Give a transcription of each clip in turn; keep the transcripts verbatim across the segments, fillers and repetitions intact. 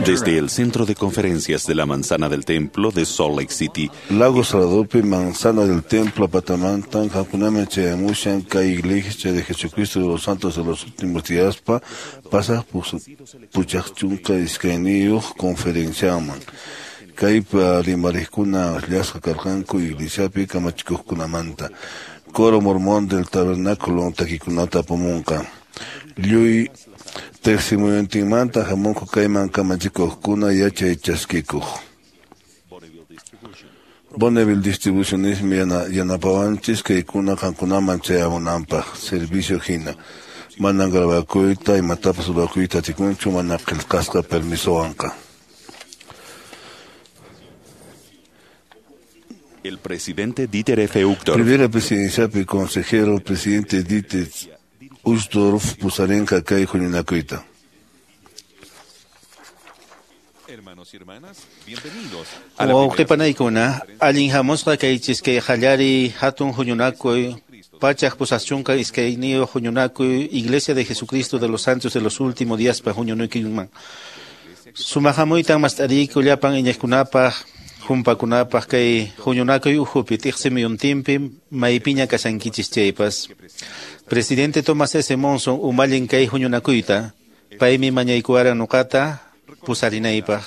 Desde el Centro de Conferencias de la Manzana del Templo de Salt Lake City, Lago Saladopi, Manzana del Templo, Patamantan, Hakuname, Chayamushan, Kay Iglesia de Jesucristo de los Santos de los Últimos Días, pa, pasa Puchachunka, Iskainiyuq, conferenciaman. Kaypa rimarikuna llasqa karqanku iglesiapi kamachikuqkunamanta. Coro mormón del tabernáculo takikunata apamunqa. Lluy tiqsimuyuntinmanta hamunku kayman kamachikuqkuna yachay chaskikuq. Bonneville Distributionismi yana, yanapawanchis kaykuna qankunaman chayamunanpaq servicio hina. Manan grabakuyta imatapas rurakuyta atikunchu mana qillqasqa permisowanqa. El presidente Dieter F. Uchtdorf. Primera presidenciapi consejero presidente Dieter Uchtdorf pusarinqa kay huñunakuyta. Hermanos y hermanas, bienvenidos a la Wawqipanaykuna, allin hamusqa kaychis kay qallariy hatun huñunakuy, pachaq pusaqchunka iskayniyuq huñunakuy, Iglesia de Jesucristo de los Santos de los Últimos Días pa huñunakuyman. Sumaq hamuytan mast'ariyku llapan iñiqkunapaq, humpakunapaq kay huñunakuy ukhupi tiqsimuyuntinpi maypiña kashankichis chaypas. Presidente Thomas S. Monson umallin kay huñunakuyta, paymi mañaykuwaran nuqata pusarinaypaq.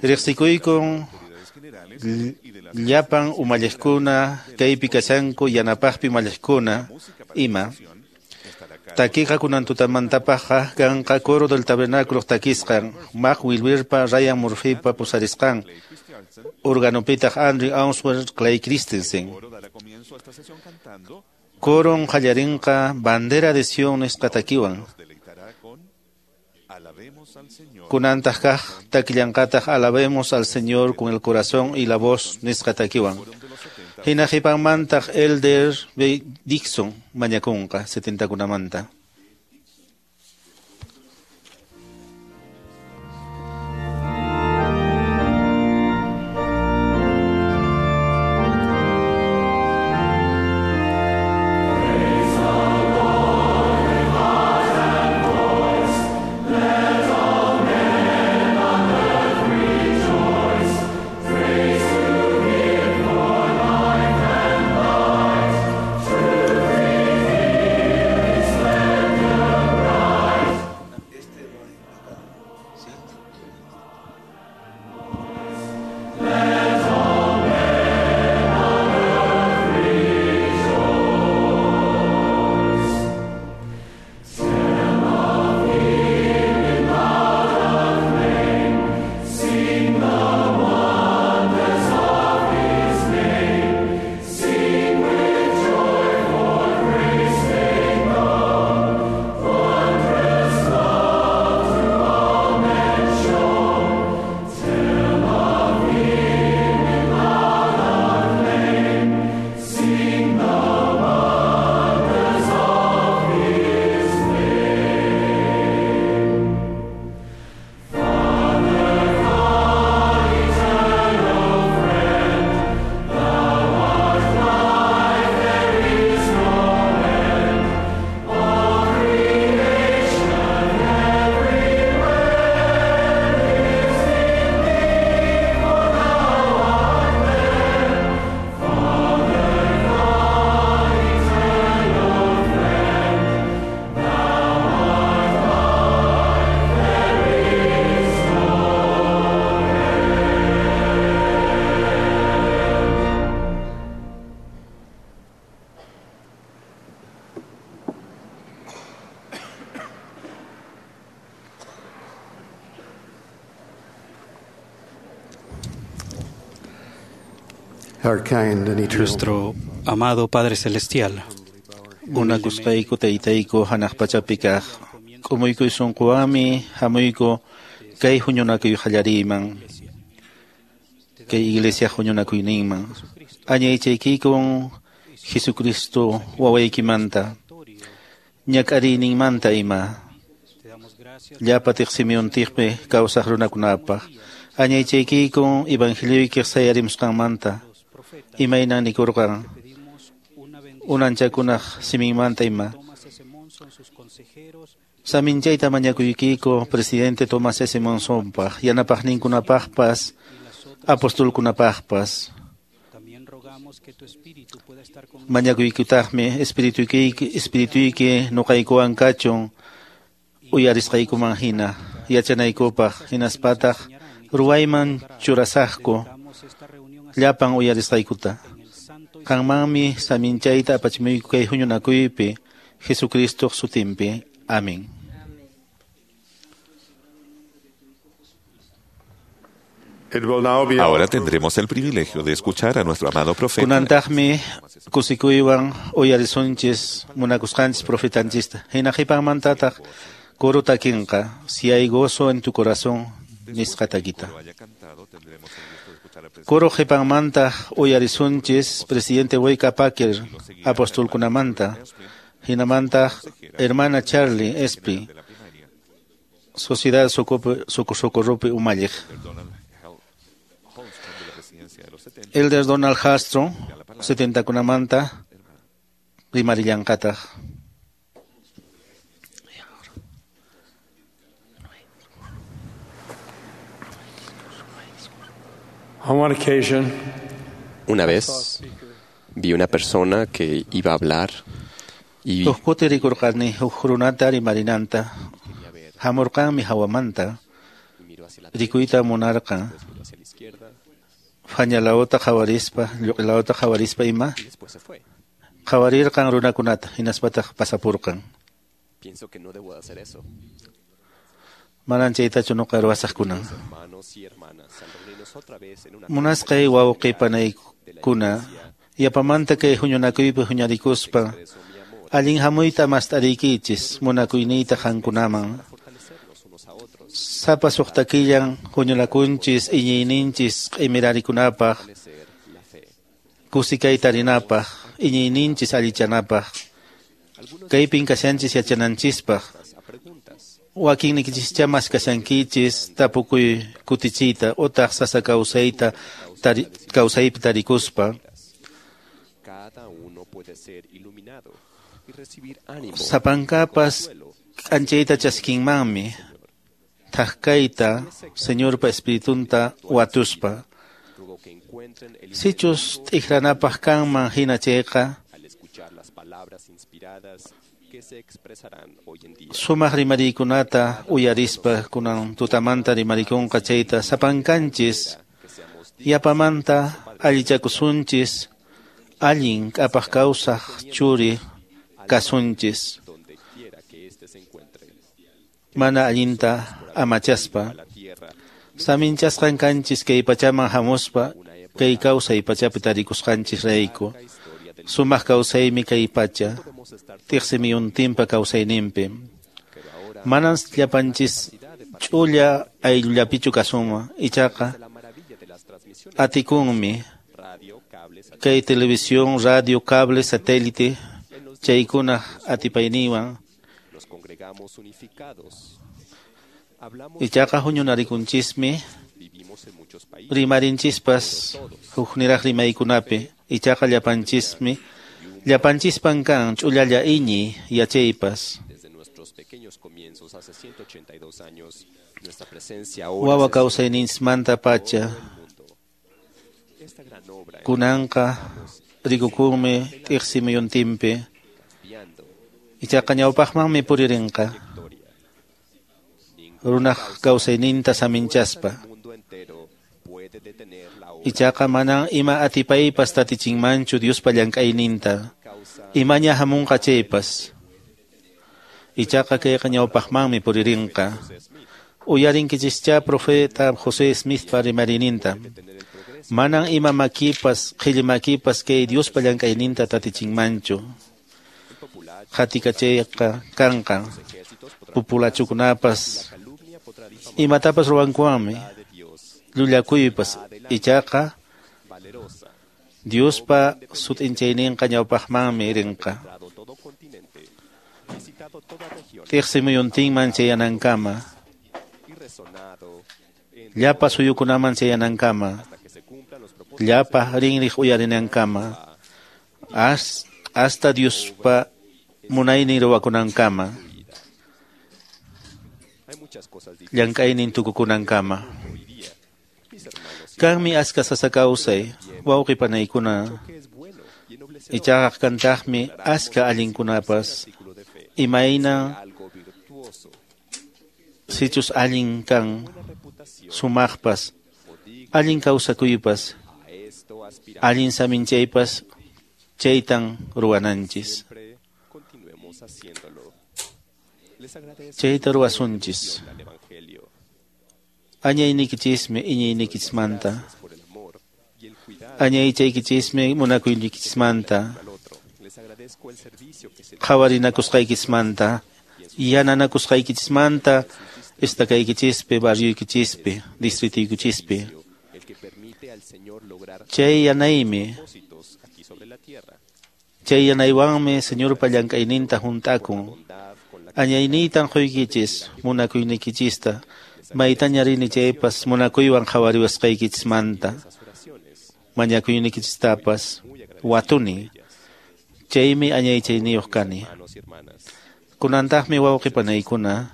Riqsikuykun llapan umalliqkuna kaypi kashanku yanapaqpi umalliqkuna ima. Takiqa kunan tutamantapaqqa kanqa Coro del Tabernáculo takisqan, Mac Wilberpa, Ryan Murphypa pusarisqan, organopitaq Andrew Answer, Clay Christensen. Coron qallarinqa Bandera de Sion nisqa takiwan. Kunantaq kaq takillanqataq Alabemos al Señor con el corazón y la voz nisqa takiwan. Hina qhipanmantaq Elder B. Dixon mañakunqa setentakunamanta. Nuestro amado Padre Celestial, Munakusqayku taytayku hanaq pachapi kaq, k'umuykuy sunquwanmi hamuyku kay huñunakuy qallariyman, kay iglesia huñunakuyninman. Añaychaykikun Jesucristo wawaykimanta, ñak'ariyninmanta ima, llapa tiqsimuyuntiqpi kawsaq runakunapaq. Añaychaykikun evangelioykiq sayarimusqanmanta, imaynan nikurqan, unanchakunaq siminmanta ima. Saminchayta mañakuykiku presidente Thomas S. Monsonpaq, yanapaqninkunapaqpas, apostolkunapaqpas. Mañakuykutaqmi espirituyki espirituyki nuqaykuwan kachun uyarisqaykuman hina yachanaykupaq hinaspataq ruwayman churasaqku llapan uyarisqaykuta. Qanmanmi saminchayta apachimuyku kay huñunakuypi Jesucristo sutinpi. Amén. Ahora tendremos el privilegio de escuchar a nuestro amado profeta. Kunantaqmi kusikuywan uyarisunchis munakusqanchis profetanchista. Hina qhipanmantataq coro takinqa si hay gozo en tu corazón nisqa takita. Coro qhipanmanta uyarisunchis presidente Boyka Packer apostolkunamanta. Hinamantaq hermana Charlie Espi Sociedad Socorropi umalliq. Elder Donald Hastro, setentakunamanta, rimarillanqataq. Una vez vi una persona que iba a hablar y Huk kuti rikurqani huk runata rimarinanta, hamurqanmi hawamanta, rikuyta munarqan. Fañalawta qhawarispa, lluq'ilawta qhawarispa ima, qhawarirqan runakunata, hinaspataq pasapurqan. Pienso que no debo de hacer eso. Manan chaytachu nuqa ruwasaq kunan. Hermanos y hermanas, al reunirnos otra vez en una Munasqay wawqi panaykuna, yapamanta kay huñunakuypi huñarikuspa, allin hamuyta mast'ariykichis munakuyniyta qankunaman. Sapa suqtakillan huñunakunchis iñiyninchis q'imirarikunapaq, kusikay tarinapaq, iñiyninchis allichanapaq, kaypin kashanchis yachananchispaq. Wakinnikichischá maskashankichis tapukuy kutichiyta utaq sasa kawsayta tari, kawsaypi tarikuspa. Cada uno puede ser iluminado y recibir ánimo. Sapankapas k'anchayta chaskinmanmi thaqkayta Señorpa espiritunta watuspa. Ruego que encuentren el Sichus t'ikranapaq kanman hina chayqa al escuchar las palabras inspiradas que se expresarán hoy en día. Sumaq rimariykunata uyarispa kunan tutamanta rimarikunqa chayta sapankanchis yapamanta allichakusunchis allin k'apaq kawsaq churi kasunchis Donde quiera que éste se encuentre. mana allinta amachaspa. La tierra Saminchasqan kanchis kay pachaman hamuspa kay kawsay pachapi tarikusqanchis rayku. Sumaq kawsaymi kay pacha tiqsimiyuntinpa kawsayninpi. Manan llapanchis ch'ulla ayllullapichu kasunman, ichaqa la maravilla de las transmisiones atikunmi radio, cables, kay televisión, radio, cable, satélite chaykuna atipayninwan nos congregamos unificados. Hablamos, ichaqa huñunarikunchismi vivimos en muchos países. rimarinchispas hukniraq rimaykunapi ichaqa llapanchismi llapanchispan kan ch'ullalla iñiy yachaypas. Desde nuestros pequeños comienzos hace ciento ochenta y dos años, nuestra presencia ahora Wawa se kawsayninchismanta pacha mundo. Esta gran obra kunanqa rikukunmi t'iqsimuyuntinpi enviando ichaqa ñawpaqmanmi puririnqa victoria. runaq kawsayninta saminchaspa. El mundo entero puede detener la obra Ichaqa manan ima atipaypas tatichinmanchu Diospa llank'ayninta causa imaña hamunqa chaypas. Ichaqa kayqa ñawpaqmanmi puririnqa. Uyarinkichischá profeta José Smithpa rimariyninta. Manan ima makipas qhilli makipas kay Diospa llank'ayninta tatichinmanchu. Qatikachayqa kanqa populachukunapas calumnia podrá difamar imatapas ruwankuwanmi de Dios llullakuypas ichaqa valerosa, Diospa sut'inchayninqa ñawpaqmanmi rinqa. dado todo continente, visitado toda región Tiqsimuyuntinman chayanankama, y resonado en llapa suyukunaman chayanankama, hasta que se cumplan los propósitos llapa rinriq uyarinankama, as Hasta Diospa munaynin ruwakunankama. Llank'aynin tukukunankama. Kanmi aska sasa kawsay, wawqi panaykuna. Ichaqa kantaqmi aska allinkunapas. Imayna sichus allin kan sumaqpas, allin kawsakuypas, allin saminchaypas, chaytan ruwananchis. Chayta ruwasunchis. Añaynikichismi iñiynikichismanta. Añaychaykichismi munakuynikichismanta. Qhawarinakusqaykichismanta, yananakusqaykichismanta, estakaykichispi, barrioykichispi, distritoykichispi. Chay yanaymi, chay yanaywanmi Señorpa llank'ayninta hunt'akun. Añayniytan quykichis munakuynikichista, maytaña rini chaypas munakuywan qhawariwasqaykichismanta, mañakuynikichistapas watuni. Chaymi añaychayniyuq kani. Kunantaqmi wawqi panaykuna,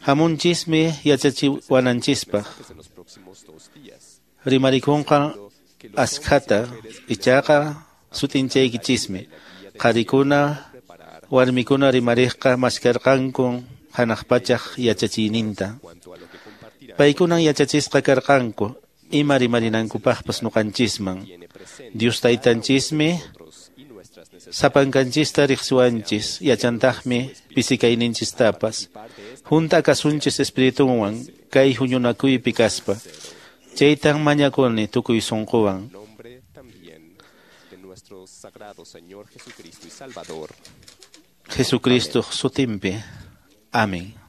hamunchismi yachachiwananchispaq. Rimarikunqa askhata, ichaqa sut'inchaykichismi. Qharikuna, warmikuna rimariqqa maskarqanku hanaq pachaq yachachiyninta. Paykunan yachachisqa karqanku ima rimarinankupaqpas ñuqanchisman. Dios taytanchismi sapankanchista riqsiwanchis, yachantaqmi pisikayninchistapas. Hunt'a kasunchis espiritunwan kay huñunakuypi kaspa. Chaytan mañakuni tukuy sunquwan. Jesucristo sutinpi. Amén.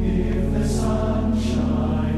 If the sun shines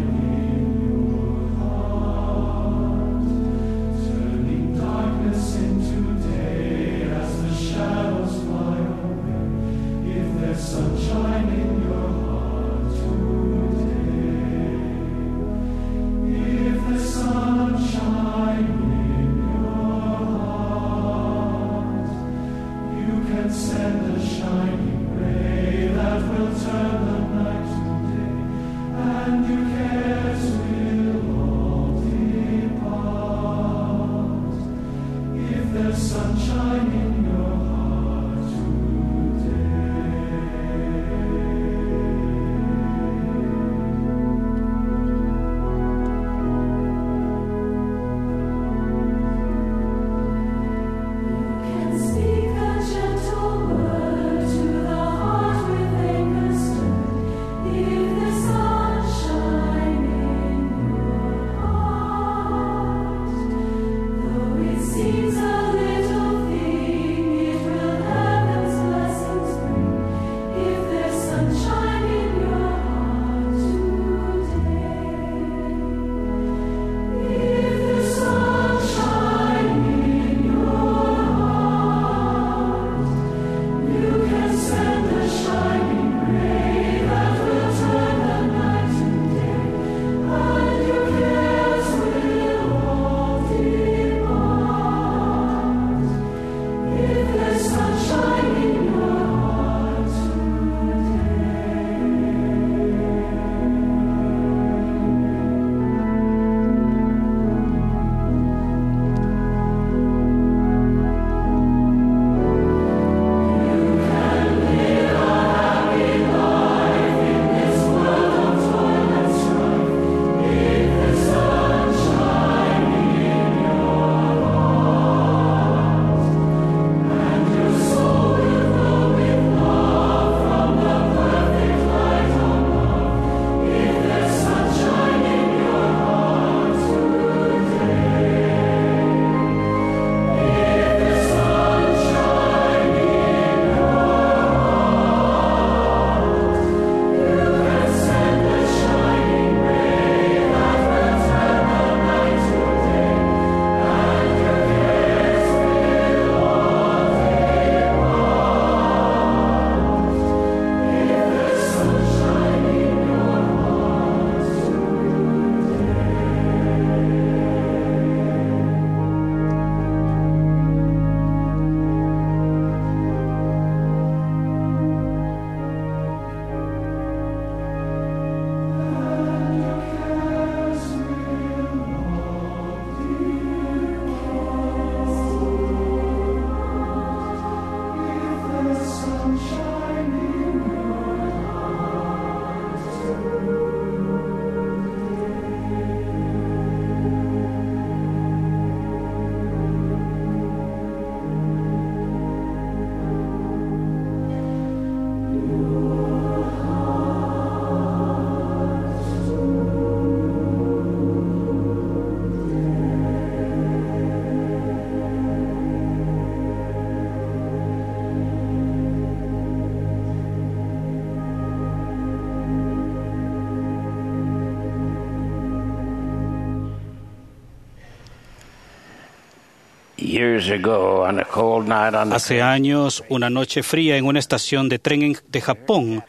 Hace años, una noche fría en una estación de tren en, de Japón,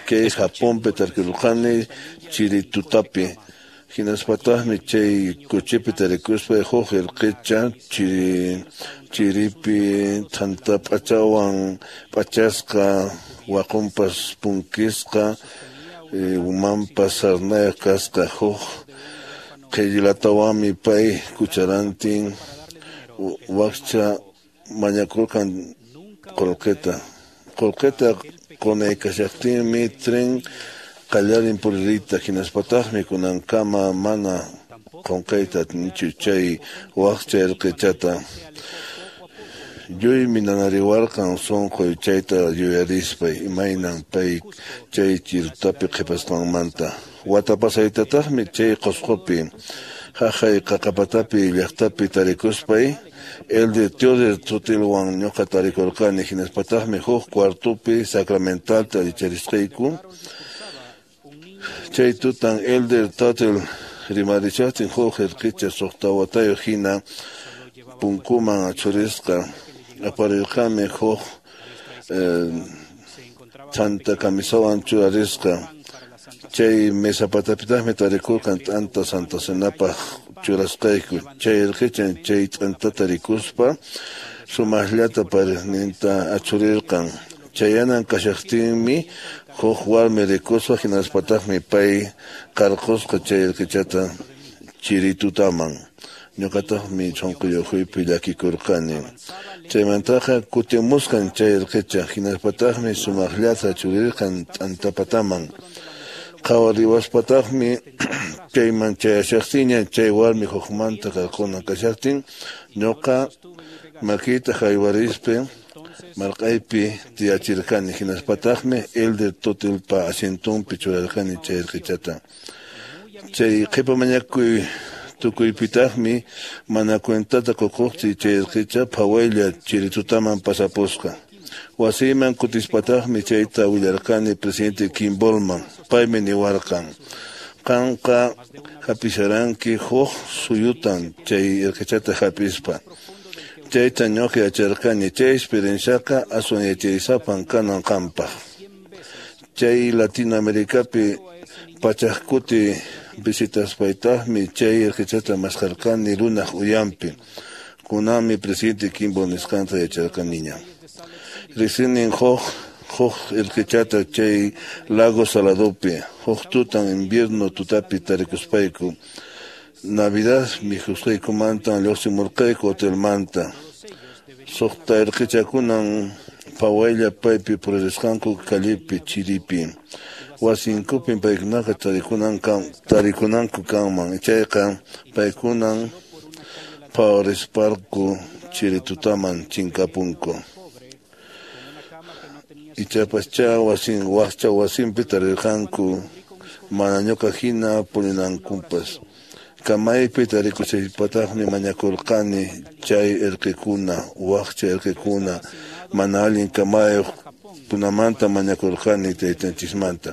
kay Japonpi tarkurqani chiritutapi hinaspataqmi chay kuchipi tarikuspa huk irqicha chiri chiripi thanta p'achawan p'achasqa waqunpas punkisqa umanpas sarnayuq kasqa huk qhillatawanmi pay cucharantin wakcha mañakurqan qullqita qullqita qunaykashaqtinmi tren qallarin puririyta hinaspataqmi kunankama mana qunqayta atinichu chay wakcha irqichata lluymi nanariwarqan sunquy chayta yuyarispay imaynan pay chay chirutapi qhipasqanmanta wata pasaytataqmi chay Qusqupi haqay Qaqapatapi llaqtapi tarikuspay Elder Theodore Tutilwan ñuqa tarikurqani hinaspataqmi huk cuartupi sacramentalta richarisqayku chay tutan Elder Tuttle rimarishaqtin huk irqicha suqta watayuq hina punkuman achurisqa aparirqami huk thanta camisawan churarisqa chay mesa patapitaqmi tarikurqan t'anta Santa Cenapaq churasqayku chay irqichan chay t'antata rikuspa sumaqllata parisninta achurirqan chayanan kashaqtinmi huk warmi rikusqa hinaspataqmi pay qarqusqa chay irqichata chiritutaman ñuqataqmi sunquyuquypi llakikurqani chaymantaqa kutimusqan chay irqicha hinaspataqmi sumaqllata achurirqan t'antapataman qhawariwaspataqmi chayman chayashaqtinña chay warmi hukmanta qarqunan kashaqtin ñuqa makiyta haywarispa marqaypi tiyachirqani hinaspataqmi Elder Tutilpa asientunpi churarqani chay irqichata chay qhipa mañakuy tukuypitaqmi mana cuentata qukuqti chay irqicha phawaylla chiritutaman pasapusqa wasiyman kutispataqmi chayta willarqani presidente Kimballman paymi niwarqan qanqa hapisharanki huk suyutan chay irqichata hapispa chayta ñuqa yacharqani chay experienciaqa aswan yachaysapan kanan qampaq chay Latinoamericapi pachaq kuti visitaspaytaqmi chay irqichata maskarqani runaq uyanpi kunanmi presidente Kimball nisqanta yacharqaniña riqsinin huk huk irqichata chay Lago Saladopi huk tutan invierno tutapi tarikuspayku Navidad mikhusqaykumantan lluqsimurqayku hotelmanta suqta irqichakunan phawaylla paypi puririsqanku callepi chiripi wasinkupin paykunaqa tarikunanku kanman chayqa paykunan phawarisparku chiritutaman chinkapunku ichapascha wasin wakcha wasinpi tarirqanku mana ñuqa hina purinankupas kamaypi tarikushaypataqmi mañakurqani chay irqikuna wakcha irqikuna mana allin kamayuq kunamanta mañakurqani taytanchismanta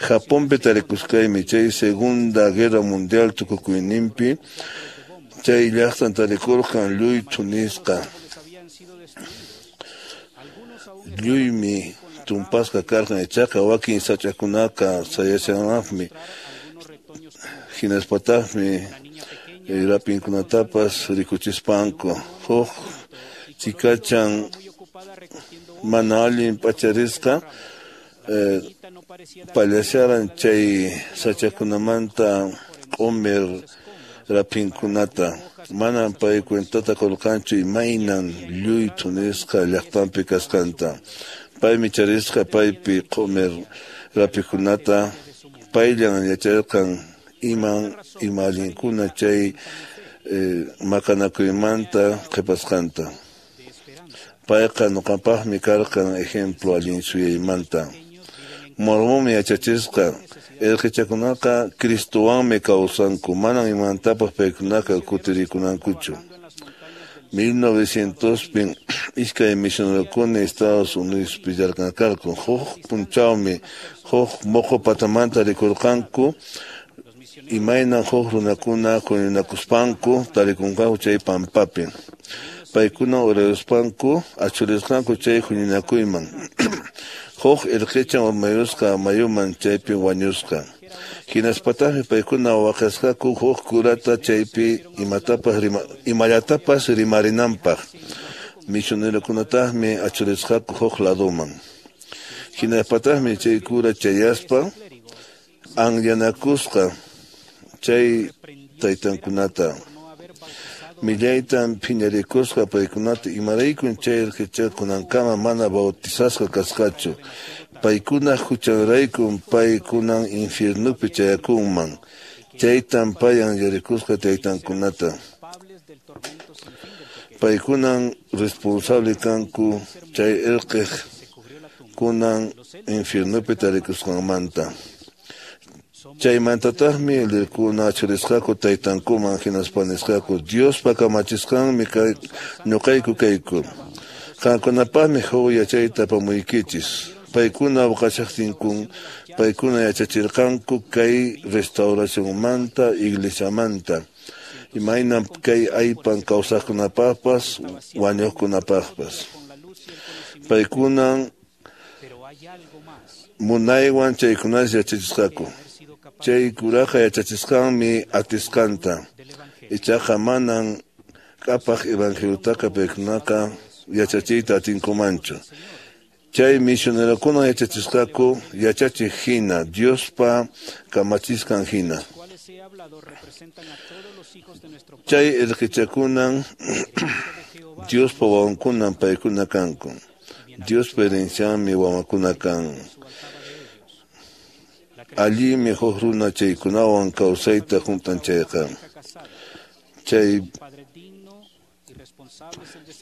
Japonpi tarikusqaymi chay Segunda Guerra Mundial tukukuyninpi chay llaqtan tarikurqan lluy thunisqa lluymi tumpasqa karqan ichaqa wakin sach'akunaqa sayashanaqmi hinaspataqmi rapinkunatapas rikuchispanku huk chikachan mana allin p'acharisqa pallasharan chay sach'akunamanta q'umir rapinkunata manan pay cuentata qurqanchu imaynan lluy thunisqa llaqtanpi kasqanta paymi charisqa paypi q'umir rapikunata payllan yacharqan iman ima allinkuna chay maqanakuymanta qhipasqanta payqa ñuqapaqmi karqan ejemplo allin suyaymanta Mormonmi yachachisqa irqichakunaqa Cristowanmi kawsanku manan imantapas paykunaqa kutirikunankuchu mil novecientospin iskay misionerokuna Estados Unidospi llarqankarqan huk p'unchawmi huk muqu patamanta rikurqanku imaynan huk runakuna huñunakuspanku tarikunqaku chay pampapi Paykuna urayuspanku achurisqanku chay huñunakuyman. Huk irqichan urmayusqa mayuman chaypi wañusqa. Hinaspataqmi paykuna waqasqaku huk kurata chaypi imatapas rima, imallatapas rimarinanpaq. Misionerokunataqmi achurisqaku huk laduman. Hinaspataqmi chay kura chayaspa anyanakusqa chay taytankunata. Millaytan phiñarikusqa paykunata imaraykun chay irqichakunankama mana bautizasqa kasqachu. Paykuna huchanraykun paykunan infiernupi chayakunman. Chaytan pay anyarikusqa taytankunata. Paykunan responsable kanku chay irqiq kunan infiernupi tarikusqanmanta. Chaymantataqmi lirkuna achurisqaku taytankuman hinaspa nisqaku Diospa kamachisqanmi kay ñuqayku kayku. Qamkunapaqmi huk yachayta apamuykichis. Paykuna waqashaqtinkun paykuna yachachirqanku kay restauracionmanta iglesiamanta. Imaynam kay aypan kawsaqkunapaqpas wañuqkunapaqpas. Paykunan munaywan chaykunas yachachisqaku. Chay kuraqa yachachisqanmi atisqanta. Ichaqa manan k'apaq evangeliutaqa paykunaqa yachachiyta atinkumanchu. Chay misionerokuna yachachisqaku yachachiq hina, Diospa kamachisqan hina. Chay irqichakunan Diospa wawankunan paykuna kanku. Diospa herencianmi wawankuna kan. Allinmi huk runa chaykunawan kawsayta juntan chayqa. Chay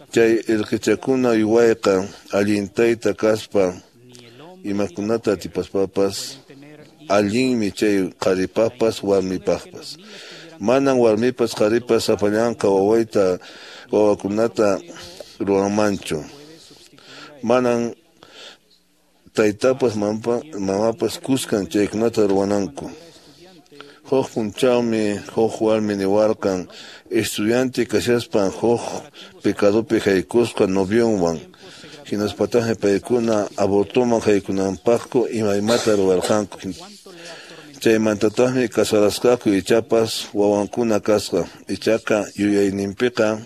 chay irqichakuna uywayqa allin tayta kaspa imakunata atipaspapas allinmi chay qharipaqpas warmipaqpas. Manan warmipas qharipas sapallanqa wawayta wawakunata ruwanmanchu. Manan taytapas mamapas kuskan chaykunata ruwananku. Huk punchawmi huk warmi niwarqan estudiante kashaspan huk pecadopi haykusqa novionwan. Hinaspataqmi paykuna abortoman haykunanpaqku imaymata ruwarqanku. Chaymantataqmi casarasqaku ichapas wawankuna kasqa. Ichaqa yuyayninpiqa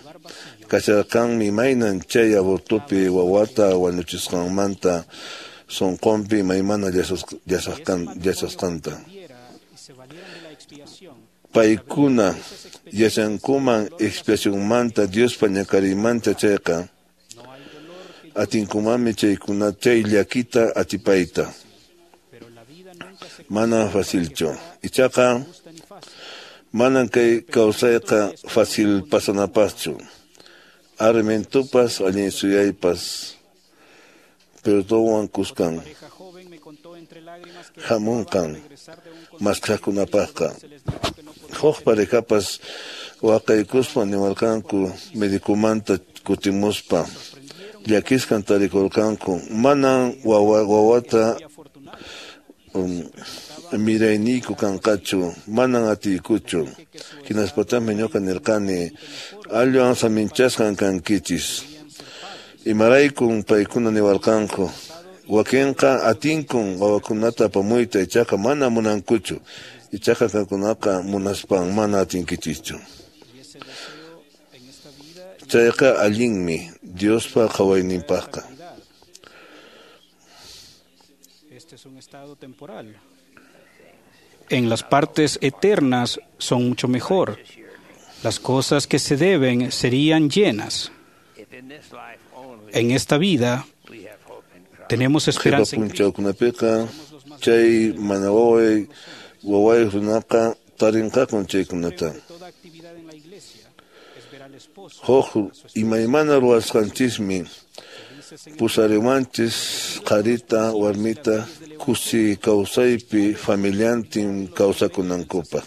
kasharqanmi imaynan chay abortopi wawata wañuchisqanmanta sunqunpi imaymana llasasqanta. Paykuna yachankuman expiacionmanta Diospa ñakariymanta chayqa atinkumanmi chaykuna chay llakita atipayta. Manan facilchu. Ichaqa manan kay kawsayqa fácil pasanapaqchu. Arrementopas allin suyaypas perdonwan kuskan hamunqan maskhaqkunapaqqa. Huk parejapas waqaykuspa niwarqanku medicomanta kutimuspa llakisqan tarikurqanku manan wawa wawata um, mirayniyku kanqachu manan atiykuchu. Hinaspataqmi ñuqa nirqani allwan saminchasqan kankichis. Imaraykun paykuna niwarqanku wakinqa atinkun wawakunata apamuyta ichaqa mana munankuchu. Ichaqa qamkunaqa munaspan mana atinkichischu. Chayqa allinmi Diospa qhawayninpaqqa. Este es un estado temporal. En las partes eternas son mucho mejor. Las cosas que se deben serían llenas. En esta vida tenemos esperanza en Cristo. Qhipa chay mana waway waway runaqa tarinqakun chaykunata. Huk imaymana ruwasqanchismi pusariwanchis qharita warmita kusi kawsaypi familiantin kawsakunankupaq.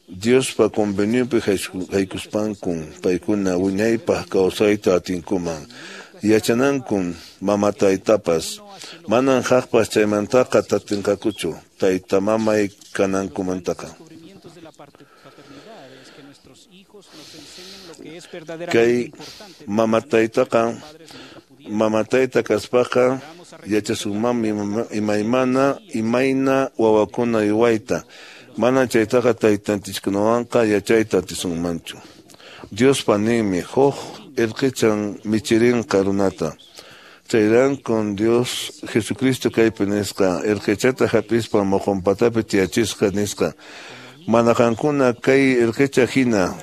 Diospa conveniopi haykuspankun paykuna wiñaypaq kawsayta atinkuman. Yachanankun mama taytapas manan haqpas chaymantaqa tatinqakuchu tayta mamay kanankumantaqa. Kay mama taytaqa mama tayta kaspaqa yachasunmanmi imaymana imayna wawakuna uywayta. Mana chaytaqa taytanchiskunawanqa yachayta atisunmanchu. Diospa ninmi huk irqichan michirinqa runata. Chayraykun Dios Jesucristo kaypi nisqa irqichata hap'ispa muqunpatapi tiyachisqa nisqa. Mana qankuna kay irqicha hina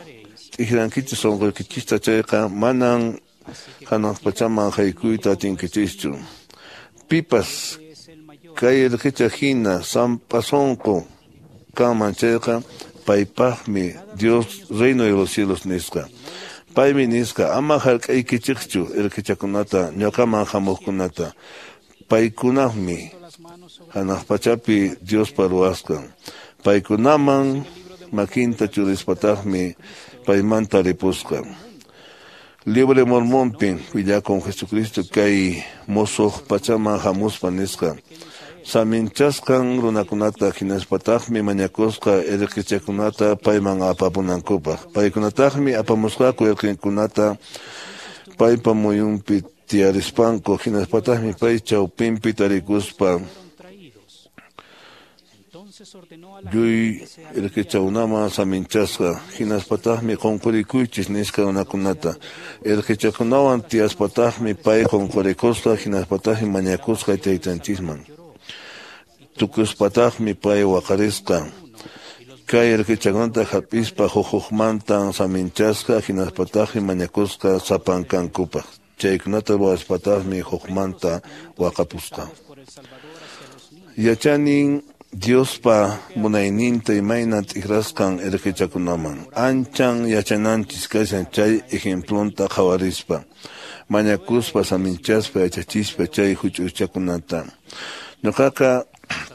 t'ikrankichis sunquykichista chayqa manan hanaq pachaman haykuyta atinkichischu. Pipas kay irqicha hina sampa sunqu kanman chayqa paypaqmi Dios reino de los cielos nisqa. Paymi nisqa ama hark'aykichikchu irqichakunata ñuqaman hamuqkunata. Paykunaqmi hanaq pachapi Diospa ruwasqan. Paykunaman makinta churispataqmi paymanta ripusqa. Libre Mormonpin willakun Jesucristo kay musuq pachaman hamuspa nisqa. Saminchasqan runakunata hinaspataqmi mañakusqa irqichakunata payman apapunankupaq. Paykunataqmi apamusqaku irqinkunata paypa muyunpi tiyarispanku hinaspataqmi pay chawpinpi tarikuspa lluy irqichawnaman saminchasqa hinaspataqmi qunqurikuychis nisqa runakunata. Irqichakunawan tiyaspataqmi pay qunqurikusqa hinaspataqmi mañakusqa taytanchisman. Tukuspataqmi pay waqarisqa. Kay irqichakunata hap'ispa huk hukmantan saminchasqa hinaspataqmi mañakusqa sapankankupaq. Chaykunata ruwaspataqmi hukmanta waqapusqa. Yachanin Diospa munayninta imayna t'ikrasqan irqichakunaman. Anchan yachananchis kashan chay ejemplonta qhawarispa. Mañakuspa saminchaspa yachachispa chay huch'uychakunata. Ñuqaqa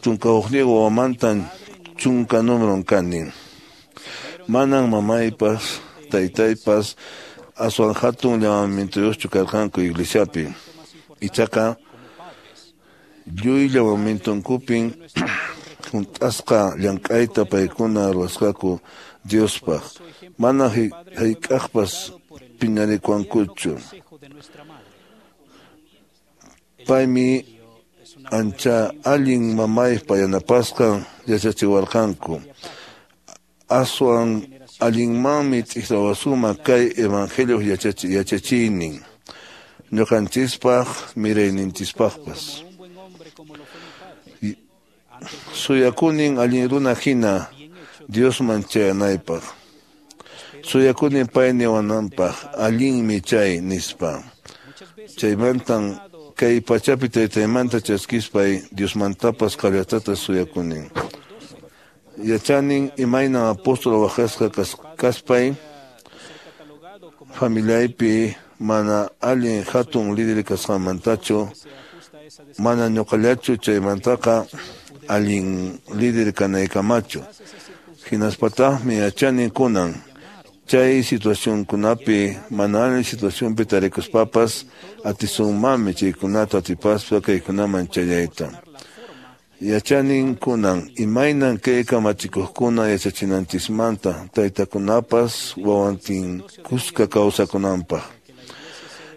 chunka hukniyuq wawamantan chunka númeron kani. Manan mamaypas taytaypas aswan hatun llamamientuyuqchu karqanku iglesiapi. Ichaqa lluy llamamientonkupin hunt'asqa llank'ayta paykuna ruwasqaku Diospaq. Mana hayk'aqpas phiñarikuwankuchu. Paymi ancha allin mamaypa yanapasqan yachachiwarqanku. Aswan allinmanmi t'ikrawasunman kay evangelio yachachiynin ñuqanchispaq mirayninchispaqpas. Suyakunin allin runa hina Diosman chayanaypaq. Suyakunin pay niwananpaq allinmi chay nispa. Chaymantan kay pachapi taytaymanta chaskispay Diosmantapas qallatata suyakunin. Yachanin imaynan apóstol waqasqa kaspay familiaypi mana allin hatun líder kasqanmantachu mana ñuqallachu chaymantaqa allin líder kanaykamachu. Hinaspataqmi yachanin kunan chay situacionkunapi mana allin situacionpi tarikuspapas atisunmanmi chaykunata atipaspa kaykunaman chayayta. Yachanin kunan imaynan kay kamachikuqkuna yachachinanchismanta taytakunapas wawantin kuska kawsakunanpaq.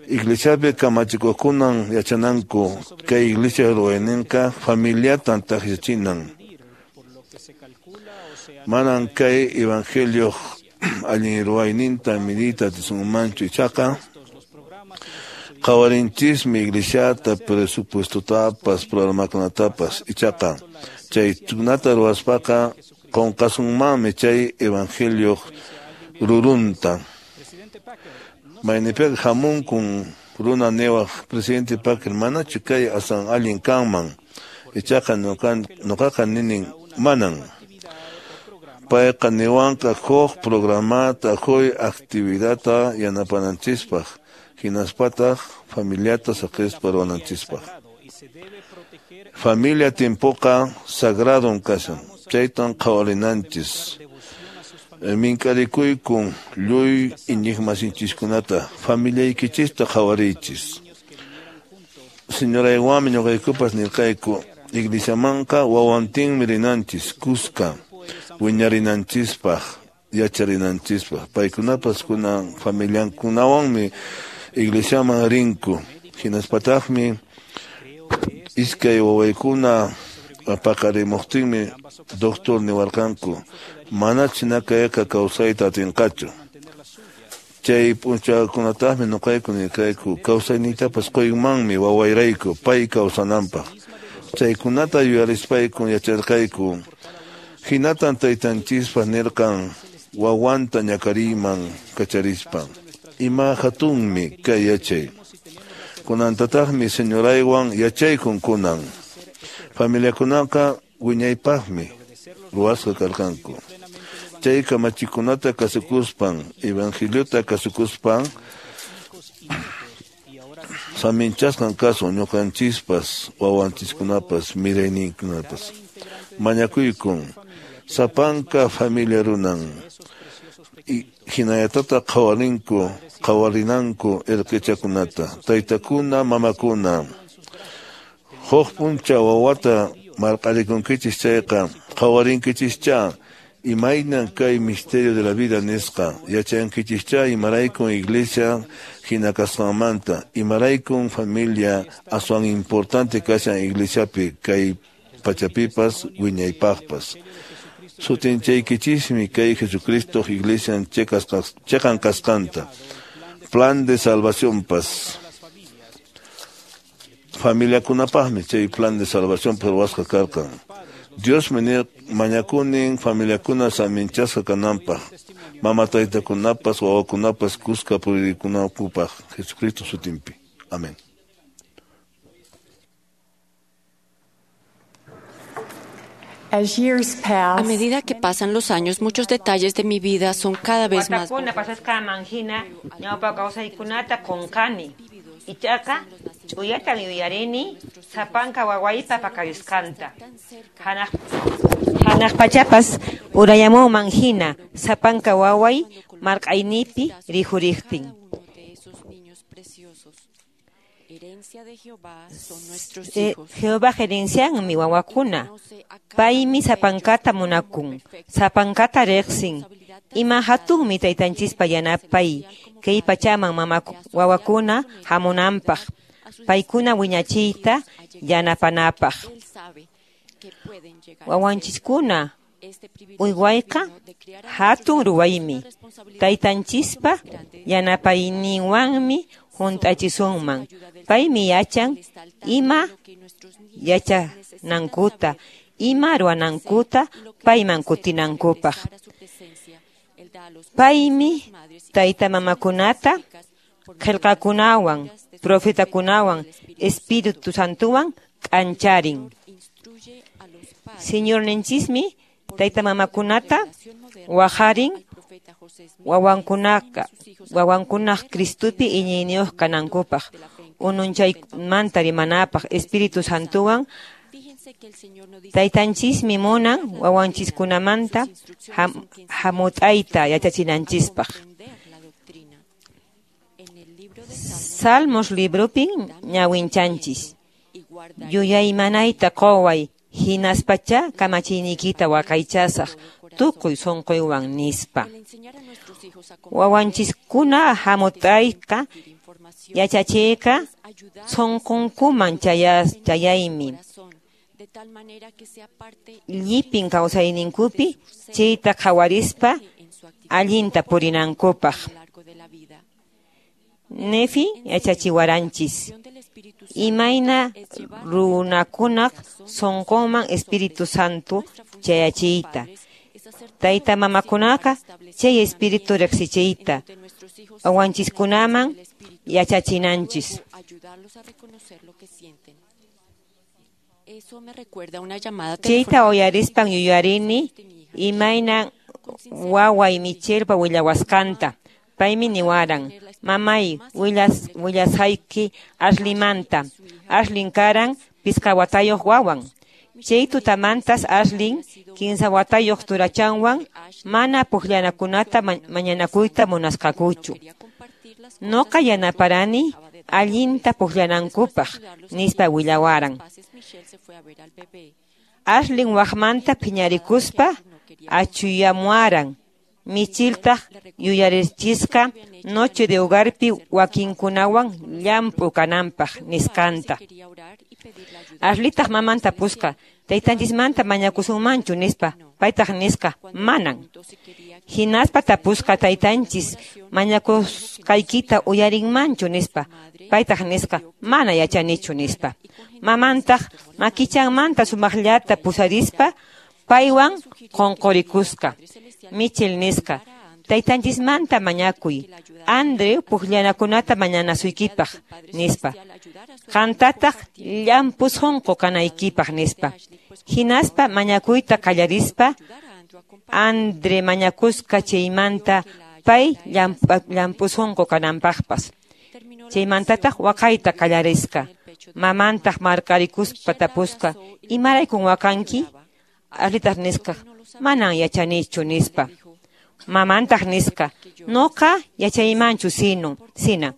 Iglesiapi kamachikuqkunan yachananku kay iglesia ruwayninqa familiatan taqllachinan. Manan kay evangelioq allin ruwayninta midiyta atisunmanchu ichaqa qhawarinchismi iglesiata presupuestotapas programakunatapas ichaqa chaykunata ruwaspaqa qunqasunmanmi chay evangelioq rurunta. Maynipiqa hamunkun runa niwaq presidente Packer manachu kay aswan allin kanman ichaqa ñuqaqa ninin manan. Payqa niwanqa huk programata huk actividadta yanapananchispaq hinaspataq familiata saqispa ruwananchispaq. Familia tiempoqa sagradon kashan chaytan qhawarinanchis. Mink'arikuykun lluy iñiqmasinchiskunata familiaykichista qhawariychis. Señoraywanmi ñuqaykupas nirqayku iglesiamanqa wawantinmi rinanchis kuska wiñarinanchispaq yacharinanchispaq. Paykunapas kunan familiankunawanmi iglesiaman rinku. Hinaspataqmi iskay wawaykuna paqarimuqtinmi doctor niwarqanku manach nakayqa kawsayta atinqachu. Chay p'unchawkunataqmi ñuqayku nirqayku kawsayniytapas quymanmi wawayrayku pay kawsananpaq. Chaykunata yuyarispayku yacharqayku. Hinatan taytanchispaq nirqan wawanta ñakariyman kacharispa. Ima hatunmi kay yachay. Kunantataqmi señoraywan yachaykun kunan. Familiakunaqa wiñaypaqmi ruwasqa karqanku. Chay kamachikunata kasukuspan, evangeliota kasukuspan, saminchasqan kasun ñuqanchispas, wawanchiskunapas, mirayninkunapas. Mañakuykun, sapanka familia runan, hinallatata qhawarinku, qhawarinanku irqichakunata, taytakuna, mamakuna. Huk p'unchaw wawata marq'arikunkichis chayqa, qhawarinkichishcha, imaynan kay misterio de la vida nisqa, yachankichishcha imaraykun iglesia hina kasqanmanta, imaraykun familia aswan importante kashan iglesiapi kay pachapipas wiñaypaqpas. Sutinchaykichismi kay Jesucristo iglesian cheqan kasqanta, plan de salvacionpas. Familiakunapaqmi chay plan de salvación ruwasqa karqan. Dios mañakunin familiakuna saminchasqa kananpaq, mama taytakunapas wawakunapas kuska purikunankupaq Jesucristo sutinpi. Amén. A medida que pasan los años, muchos detalles de mi vida son cada vez más. Ichaqa ch'uyatan yuyarini sapanka wawaypa paqarisqanta. Hanaq hanaq pachapas urayamunman hina sapanka waway marq'aynipi rikhuriqtin. Jehová herencianmi wawakuna. Paymi sapankata munakun, sapankata riqsin. Ima hatunmi taytanchispa yanapay kay pachaman mama wawakuna hamunanpaq, paykuna wiñachiyta yanapanapaq. Wawanchiskuna uywayqa hatun ruwaymi, taytanchispa yanapayninwanmi hunt'achisunman. Paymi yachan ima yachanankuta, ima ruwanankuta payman kutinankupaq. Paymi tayta mamakunata qillqakunawan, profetakunawan, Espíritu Santuwan k'ancharin. Señorninchismi tayta mamakunata waqarin wawankunaqa wawankunaq Cristupi iñiyniyuq kanankupaq, ununchaymanta rimanapaq Espíritu Santuwan. Taytanchismi munan wawanchiskunamanta ham, hamut'ayta yachachinanchispaq. Salmos librupin ñawinchanchis. Yuyaymanayta quway hinaspacha kamachiyniykita waqaychasaq tukuy sunquywan nispa. Wawanchiskuna hamut'ayqa yachachiyqa sunqunkuman chayaymi. Llipin kawsayninkupi chayta qhawarispa allinta purinankupaq. Nefi yachachiwaranchis. Imayna runakunaq sunqunman Espíritu Santo chayachiyta. Tayta mamakunaqa chay Espíritu riqsichiyta wawanchiskunaman yachachinanchis. Chayta uyarispan yuyarini imayna waway Michelpa willawasqanta. Paymi niwaran, mamay, willas willasayki Ashlimanta. Ashlin karan pisqa watayuq wawan. Chay tutamantas Ashlin kinsa watayuq turachanwan mana pukllanakunata mañanakuyta munasqakuchu. Noqa yanaparani allinta pukllanankupaq, nispa willawaran. Ashlin waqmanta phiñarikuspa achuyamuaran. Micheltaq yuyarichisqa noche de hogarpi wakinkunawan llamp'u kananpaq nisqanta. Ashleytaq mamanta pusqa, taytanchismanta mañakusunmanchu nispa, paytaq nisqa, manan. Hinaspa tapusqa taytanchis mañakusqaykita uyarinmanchu nispa, paytaq nisqa, mana yachanichu nispa. Mamantaq makichanmanta sumaqllata pusarispa, paywan qunqurikusqa. Michel nisqa, taytanchismanta mañakuy, Andrew pukllanakunata mañanasuykipaq nispa. Qantataq llamp'u sunqu kanaykipaq nispa. Hinaspa mañakuyta qallarispa, Andre mañakusqa chaymanta pay llamp'u sunqu kananpaqpas. Chaymantataq waqayta qallarisqa. Mamantaq marqarikuspa tapusqa, imaraykun waqanki? Ashleytaq nisqa, manan yachanichu nispa. Mamantaq nisqa, noqa yachaymanchu sino, sina.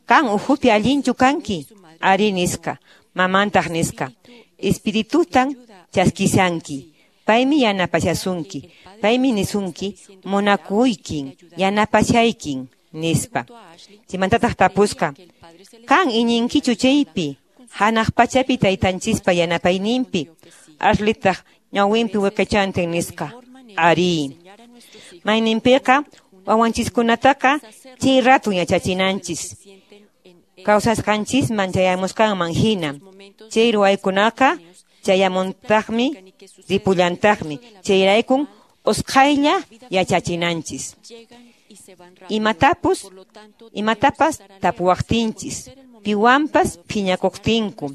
Kan uhupi allinchu kanki? Ari nisqa. Mamantaq nisqa, espiritutan chaskisanki. Paymi yanapashasunki, paymi nisunki, munakuykin, yanapashaykin, nispa. Chaymantataq tapusqa, kan iñinkichu chaypi, hanaq pachapi taytanchispa yanapayninpi? Ashleytaq ñawinpi wiqichantin nisqa, ari. Mayninpiqa wawanchiskunataqa chay ratun yachachinanchis. Kawsasqanchisman chayamusqanman hina. Chay ruwaykunaqa chayamuntaqmi, ripullantaqmi. Chayraykun usqhaylla yachachinanchis. Imatapus, imatapas tapuwaqtinchis, piwanpas phiñakuqtinku,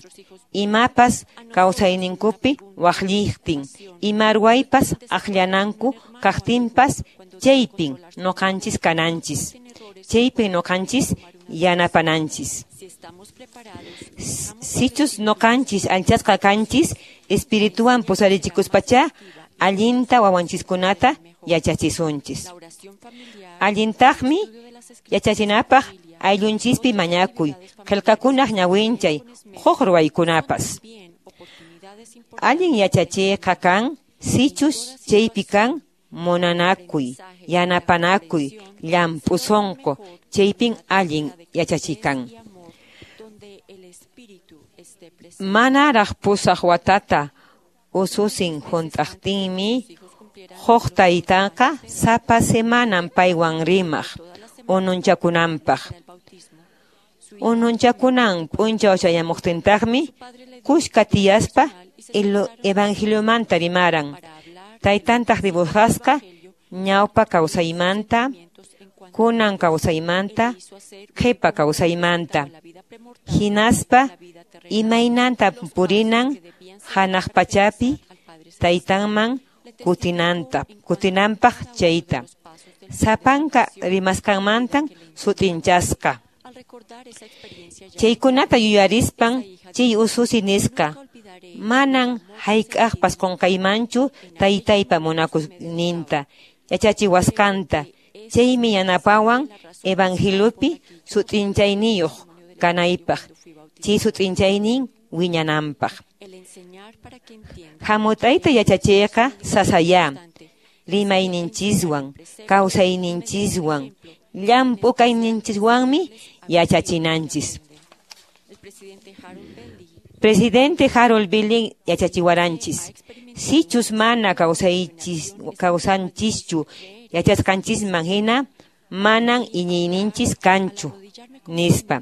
imapas kawsayninkupi waqlliqtin, ima ruwaypas aqllananku kaqtinpas, chaypin nuqanchis kananchis, chaypin nuqanchis yanapananchis. Sichus nuqanchis alchasqa kanchis, espirituwan pusarichikuspachá, allinta wawanchiskunata yachachisunchis. Allintaqmi yachachinapaq ayllunchispi mañakuy, qillqakunaq ñawinchay, huk ruwaykunapas. Allin yachachiyqa kan, sichus chaypi kan munanakuy, yanapanakuy, llamp'u sunqu, chaypin allin yachachikan. Manaraq pusaq watata ususin hunt'aqtinmi, huk taytanqa sapa semanan paywan rimaq ununchakunanpaq. Ununchakunan p'unchaw chayamuqtintaqmi, kuska tiyaspa evangeliomanta rimaran. Taytantaq dibujasqa ñawpa kawsaymanta, kunan kawsaymanta, qhipa kawsaymanta. Hinaspa imaynanta purinan hanaq pachapi taytanman kutinanta, kutinanpaq chayta. Sapanka rimasqanmantan sut'inchasqa. Chaykunata yuyarispan chay ususi nisqa, manan hayk'aqpas qunqaymanchu taytaypa munakuyninta, yachachiwasqanta, chaymi yanapawan evangeliopi sut'inchayniyuq kanaypaq, chay sut'inchaynin wiñananpaq. Hamut'ayta yachachiyqa sasayá, rimayninchiswan, kawsayninchiswan, llamp'u kayninchiswanmi yachachinanchis. Presidente Harold Billing yachachiwaranchis, sichus mana kawsanchischu yachasqanchisman hina, manan iñiyninchis kanchu, nispa.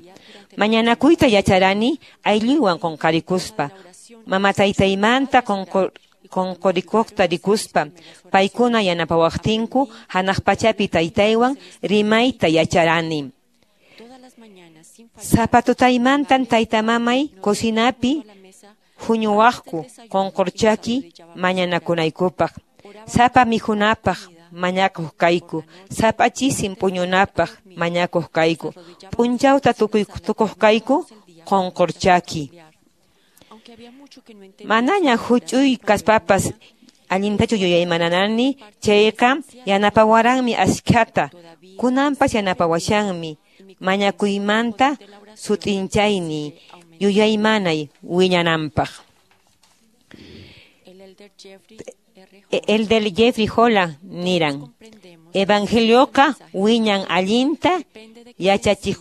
Mañanakuyta yacharani aylluywan qunqarikuspa, mama taytaymanta qunqurikuqta rikuspa, paykuna yanapawaqtinku hanaq pachapi taytaywan rimayta yacharani. Sapa tutaymantan taytamamay cocinapi huñuwaqku qunqurchaki mañanakunaykupaq, sapa mikhunapaq mañakuq kayku, sapa chisin puñunapaq mañakuq kayku, p'unchawta tukuq kayku qunqurchaki. Manaña huch'uy kaspapas allintachu yuyaymananani, chayqa yanapawaranmi askhata, kunanpas yanapawashanmi, mañakuymanta sut'inchayni yuyaymanay wiñananpaq. Elder Jeffrey Holland niran, Evangelioqa wiñan allinta yachachiq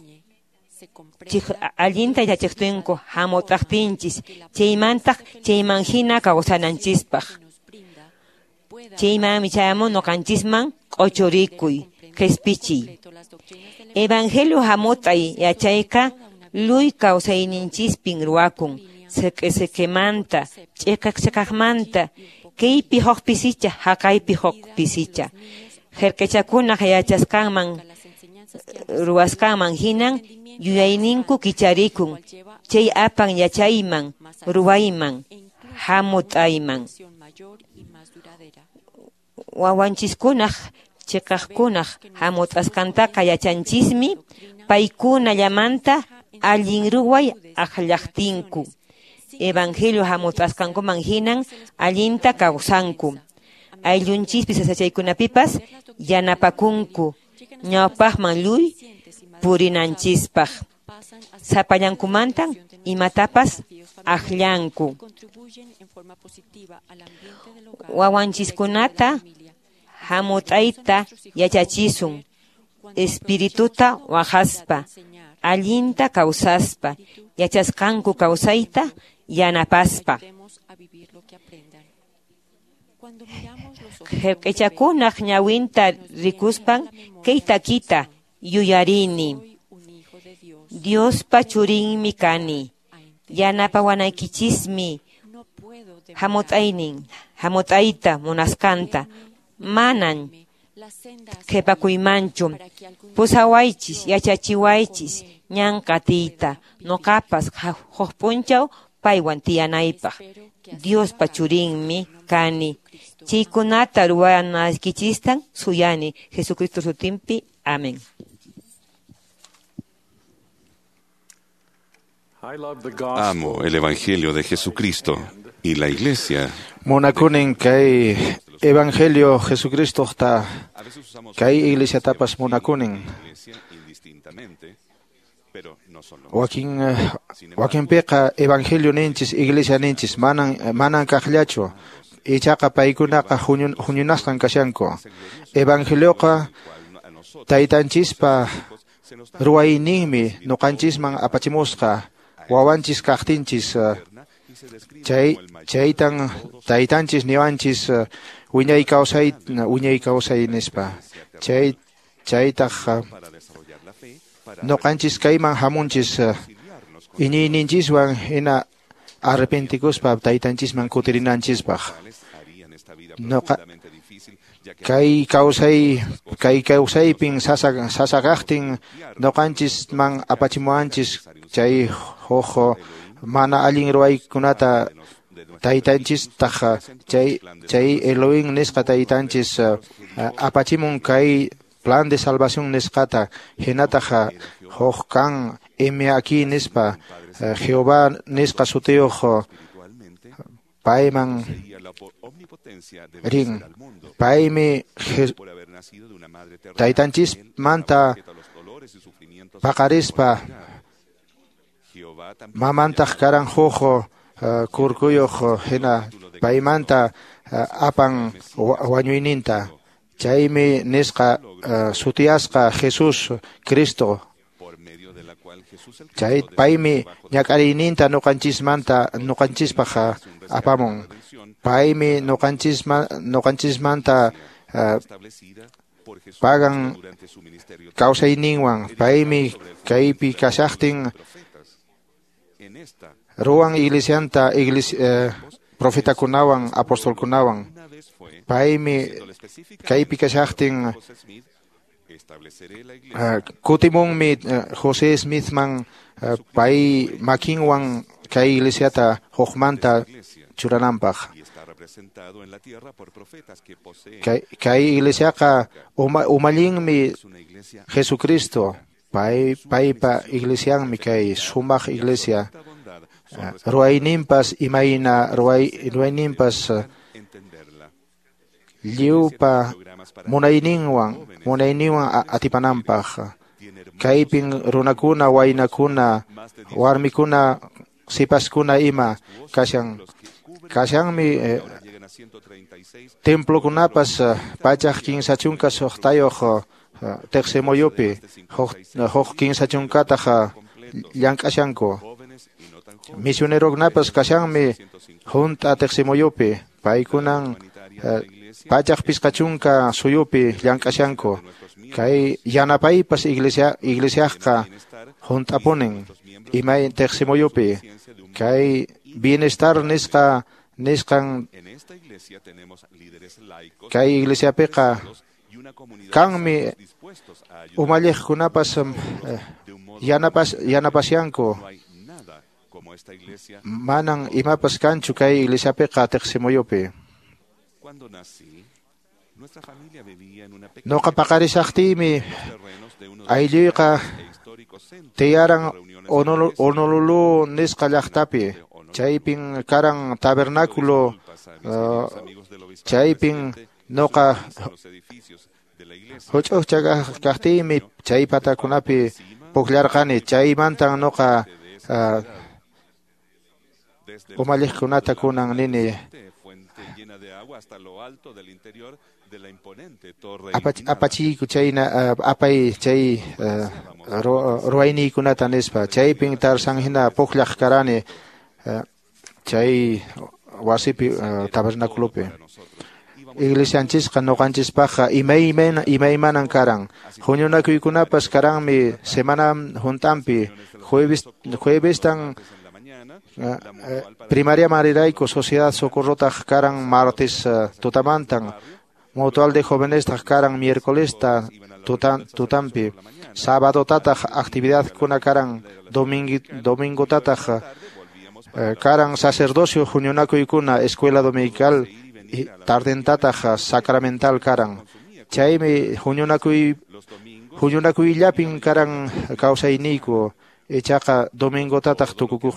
allinta yachachiqtinku hamut'aqtinchis, chaymantaq chayman hina kawsananchispaq. Chaymanmi chayamun ñuqanchisman q'uchurikuy, qhispichiy. Evangelio hamut'ay yachayqa luy kawsayninchispin ruwakun, siq'i-siq'imanta, ch'iqaq-ch'iqaqmanta, kaypi huk pisicha, haqaypi huk pisicha. Qillqachakunaq yachasqanman ruwasqanman hinan yuyayninku kicharikun, chay apan yachayman, ruwayman, hamut'ayman. Wawanchiskunaq chiqaqkunaq hamut'asqantaqa yachanchismi paykunallamanta allin ruway akllaqtinku. Evangelio hamut'asqankuman hinan allinta kawsanku. Ayllunchispi sasachaykunapipas yanapakunku ñawpaqman lluy purinanchispaq. Sapallankumantan imatapas akllanku. Wawanchiskunata hamut'ayta yachachisun, espirituta waqaspa, allinta kawsaspa, yachasqanku kawsayta yanapaspa. Qillqachakunaq ñawinta rikuspan kay takita yuyarini. Diospa churinmi kani, yanapawanaykichismi hamut'aynin, hamut'ayta munasqanta, manan qhipakuymanchu. Pusawaychis, yachachiwaychis ñan qatiyta, ñuqapas huk p'unchaw paywan tiyanaypaq. Diospa churinmi kani. Chaykunata ruwanaykichistan suyani. Jesucristo sutinpi. Amén. Amo el Evangelio de Jesucristo y la Iglesia. Munakunin kay Evangelio Jesucristo ta kay Iglesia tapas munakunin. Wakin wakinpiqa Evangelio ninchis Iglesia ninchis manan manan kaqllachu. Ichaqa paykunaqa huñunasqan kashanku. Evangelioqa taytanchispa ruwayninmi ñuqanchisman apachimusqa wawanchis kaqtinchis chay chaytan taytanchis niwanchis wiñay kawsay wiñay kawsay nispa. Chay chaytaq ñuqanchis kayman hamunchis iñiyninchiswan hina arrepentikuspa taytanchisman kutirinanchispaq. Noqa kay kawsay kay kawsaypin sasa sasaqaqtin ñuqanchisman apachimuwanchis chay huk mana allin ruwaykunata taytanchistaq chay chay Elohim nisqa taytanchis apachimun kay plan de salvación nisqata hinataq huk kan M aquí nispa Jehová nisqa sutiyuq payman rin. Paymi taytanchismanta paqarispa mamantaq karan huk kurkuyuq hina paymanta apan wañuyninta. Chaymi nisqa sutiyasqa Jesús Cristo. Chay paymi ñak'ariyninta ñuqanchismanta ñuqanchispaq apamun. Paymi ñuqanchisma ñuqanchismanta pagan kawsayninwan. Paymi kaypi kashaqtin ruwan iglesianta iglesia profetakunawan apostolkunawan. Paymi kaypi kashaqtin kutimunmi José Smithman pay makinwan kay iglesiata hukmanta churananpaq. Kay, kay iglesiaqa uma, umallinmi Jesucristo. Pay paypa iglesianmi kay sumaq iglesia. Ruwayninpas imayna ruway ruwayninpas lliwpa munayninwan munayninwan atipananpaq. Kaypin runakuna waynakuna warmikuna sipaskuna ima kashan kashanmi eh, Templokunapas pachak kinsa chunka suqtayuq Teqsimuyupi huk kinsa chunkataq llank'ashanku. Misionerokunapas kashanmi hunt'a Teqsimuyupi, paykunan pachak pisqa chunka suyupi llank'ashanku. Kay yanapaypas iglesia iglesiaqqa hunt'apunin imay Teqsimuyupi. Kay bienestar nisqa nisqan kay iglesiapiqa kanmi umalliqkunapas yanapas yanapasyanku. Manan imapas kanchu kay iglesiapiqa Teqsimuyupi. Noqa paqarisaqtiymi aylluyqa tiyaran Honolulu nisqa llaqtapi. Chaypin karan tabernáculo, uh, chaypin noqa huch'uqcha kaqtiymi chay patakunapi pukllarqani. Chaymantan noqa uh, umalliqkunata kunan nini apachiyku chayna uh, apay chay uh, ruwayniykunata nispa. Chaypin Tarzan hina pukllaq karani uh, chay wasipi uh, tabernáculopi. Iglesianchisqa noqanchispaqqa imaymana imaymanan karan. Huñunakuykunapas karanmi semana huntampi. Jueves juevestan uh, uh, primariaman rirayku, Sociedad Socorrotaq karan martes uh, tutamantan. Mutual de Jovenestaq karan miércolesta tutan, tutampi. Sabadotataq actividadkuna karan domingo domingotataq uh, karan sacerdocio huñunakuykuna escuela dominical tardentataq sacramental karan. Chaymi huñunakuy huñunakuyllapin karan kawsayniyku, ichaqa domingotataq tukukuq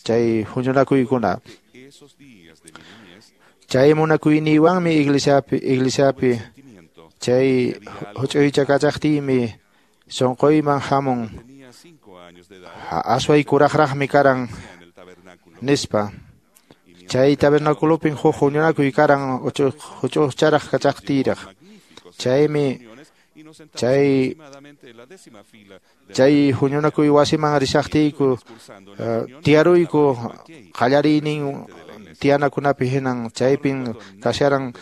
chay huñunakuykuna. Chay munakuyniywanmi iglesiapi iglesiapi chay huch'uycha kachaqtiymi sunquyman hamun asway kuraqraqmi karan nispa. Chay tabernaculopin huk huñunakuy karan huch'uqcharaq kachaqtiyraq. Chaymi chay chay huñunakuy wasiman rishaqtiyku uh, tiyaruyku qallariynin tiyanakunapi hinan. Chaypin kasharan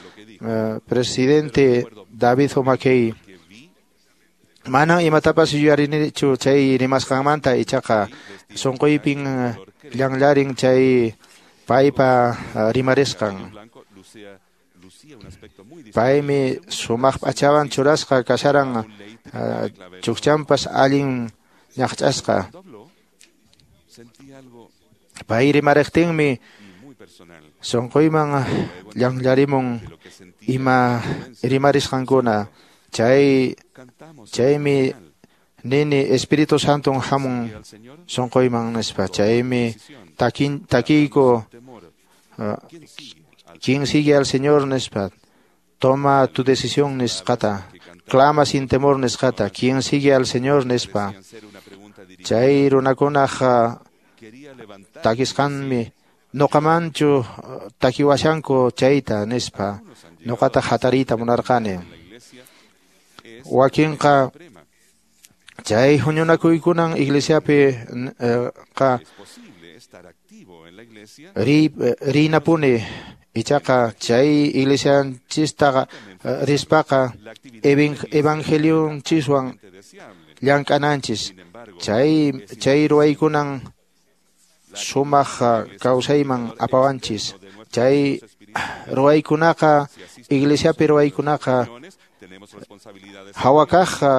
uh, presidente David O. McKay. Manan imatapas yuyarinichu chay rimasqanmanta, ichaqa sunquypin uh, llanllarin chay paypa uh, rimarisqan. Paymi sumaq p'achawan churasqa kasharan, uh, chukchanpas allin ñaqch'asqa. Pay rimariqtinmi sunquyman llanllarimun ima rimarisqankuna. Chay chaymi nini Espíritu Santon hamun sunquyman nispa. Chaymi takin takiyku uh, quien sigue al Señor nispa, toma tu decisión nisqata, clama sin temor nisqata, quien sigue al Señor nispa. Chay runakunaq takisqanmi noqamanchu takiwashanku chayta nispa, noqata hatariyta munarqani. Wakinqa chay huñunakuykunan iglesiapi qa ri rinapuni, ichaqa chay iglesianchistaqa rispaqa evangelionchiswan llank'ananchis. Chay chay ruwaykunan sumaq kawsayman apawanchis. Chay ruwaykunaqa iglesiapi ruwaykunaqa hawakaqqa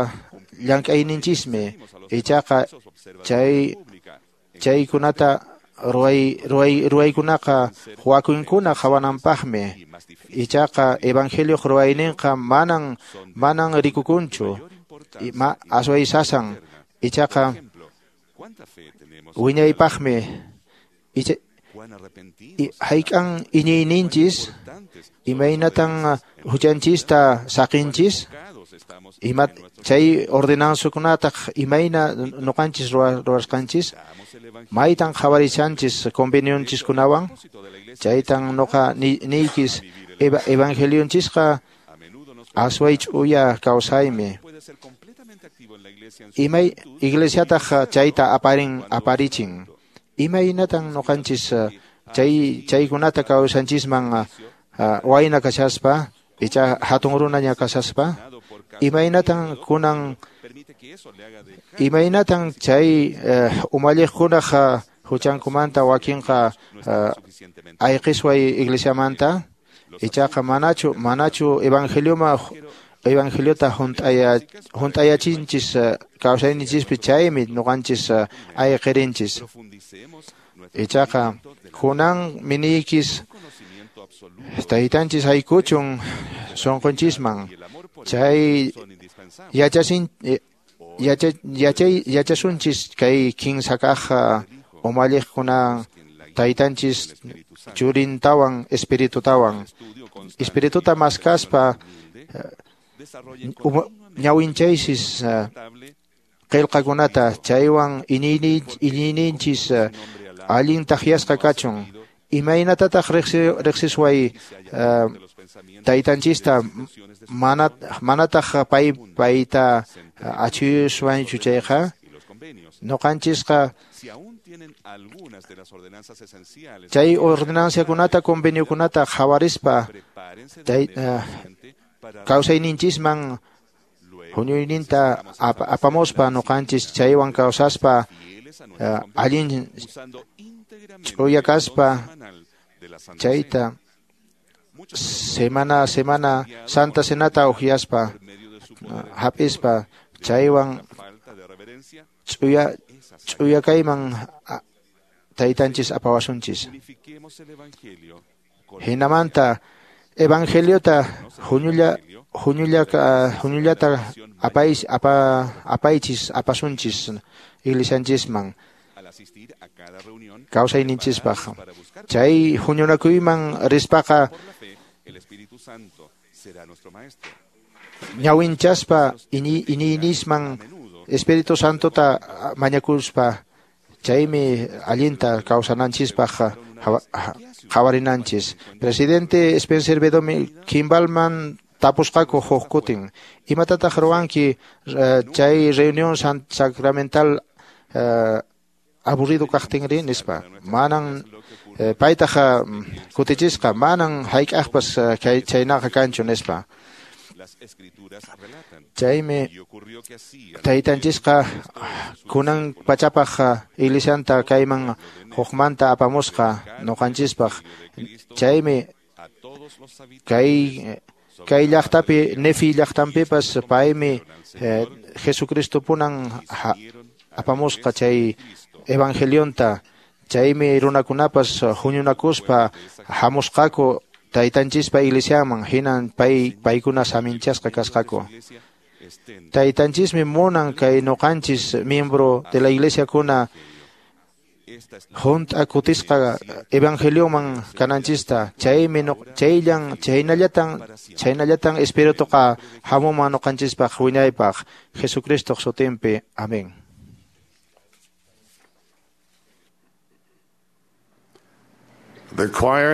llank'ayninchismi, ichaqa chay chaykunata ruway ruway ruwaykunaqa wakinkuna qhawananpaqmi, ichaqa evangelioq ruwayninqa manan manan rikukunchu, ma asway sasan, ichaqa wiñaypaqmi. Icha hayk'an iñiyninchis, imaynatan huchanchista saqinchis, ima Chay ordenanzakunataq imayna nuqanchis ruwasqanchis, maytan qhawarishanchis convenionchiskunawan, chaytan nuqa niykis evangelionchisqa asway ch'uya kawsaymi. Imay iglesiataq chayta aparin aparichin. Imaynatan nuqanchis chay chaykunata kawsanchisman wayna kashaspa, icha hatun runaña kashaspa, imaynatan kunan imaynatan chay umalliqkunaq huchankumanta wakinqa ayqisway iglesiamanta, ichaqa manachu manachu evangelioma evangeliota hunt'aya hunt'ayachinchis kawsayninchispi, chaymi nuqanchis ayqirinchis. Ichaqa kunan miniykis taytanchis haykuchun sunqunchisman, chay yachasin yacha yachay yachasunchis kay kinsa kaq umalliqkuna taytanchis churintawan espiritutawan, espirituta maskaspa ñawinchaysis qillqakunata, chaywan iñiyninchis allin takyasqa kachun. Imaynatataq riqsisway taytanchista mana manataq pay payta achuyuswanchu chayqa, nuqanchisqa chay ordenanciakunata conveniokunata qhawarispa kawsayninchisman huñuyninta apamuspa nuqanchis chaywan kawsaspa allin ch'uya kaspa chayta semana a semana Santa Cenata uhyaspa hap'ispa chaywan ch'uya ch'uya kayman taytanchis apawasunchis. Hinamanta evangeliota huñulla huñulla huñullata apais apa apaychis apasunchis iglesianchisman kawsayninchispaq. Chay huñunakuyman rispaqa ñawinchaspa iñiynisman Espíritu Santota mañakuspa, chaymi allinta kawsananchispaq qhawarinanchis. Presidente Spencer B. Kimballman tapusqaku huk kutin, imatataq ruwanki chay reunión sacramental aburrido kaqtinri nispa. Manan paytaq kutichisqa, manan hayk'aqpas chaynaqa kanchu nispa. Chaymi taytanchisqa kunan pachapaq iglesianta kayman hukmanta apamusqa nuqanchispaq. Chaymi kay kay llaqtapi Nefi llaqtanpipas paymi Jesucristo punan apamusqa chay evangelionta. Chaymi runakunapas huñunakuspa hamusqaku taytanchispa iglesiaman, hinan pay paykuna saminchasqa kasqaku. Taytanchismi munan kay nuqanchis miembro de la iglesia kuna hunt'a kutisqa evangelioman kananchista. Chaymi chayllan chaynallatan chaynallatan espirituqa hamuman nuqanchispaq wiñaypaq Jesucristoq sutinpi. Amén.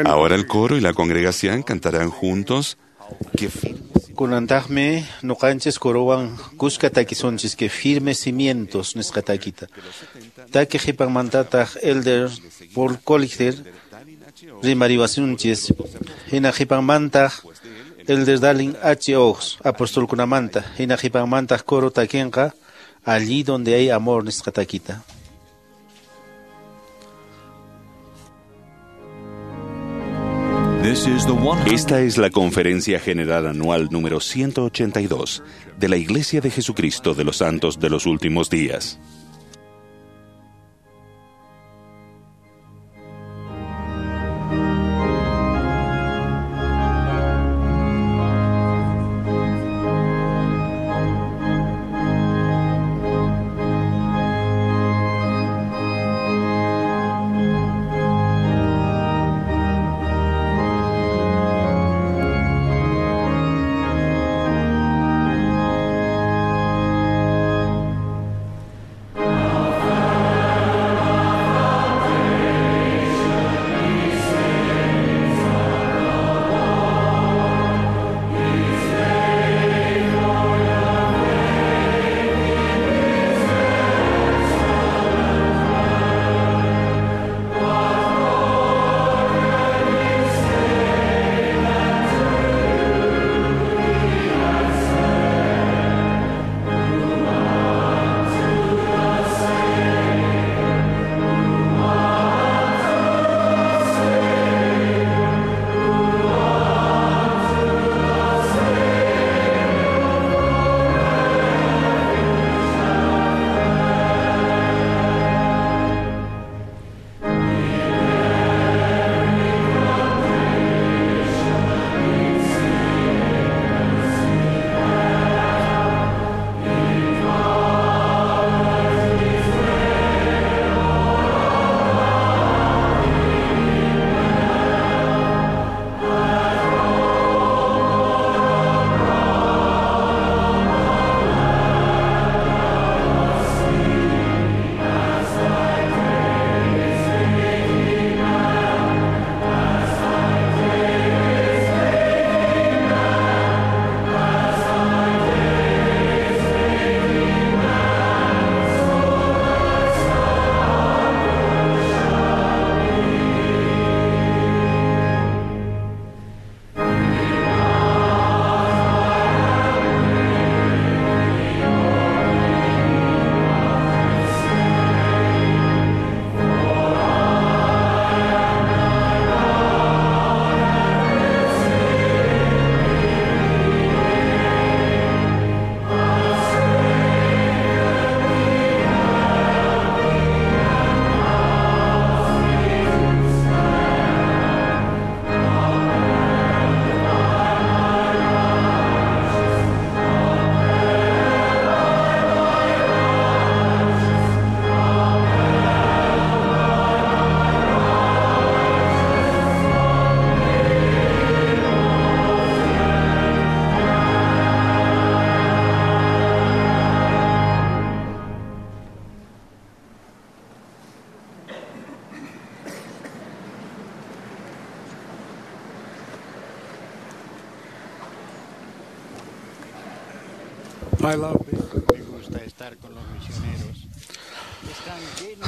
Ahora el coro y la congregación cantarán juntos que Kunantaqmi nuqanchis corowan kuska takisunchis que firmes cimientos nisqa takita. Taki qhipanmantataq Elder Paul Collier rimariwasunchis. Hina qhipanmantaq Elder Dallin H. Oaks apostolkunamanta. Hina qhipanmantaq coro takinqa allí donde hay amor nisqa takita. Esta es la Conferencia General Anual número ciento ochenta y dos de la Iglesia de Jesucristo de los Santos de los Últimos Días.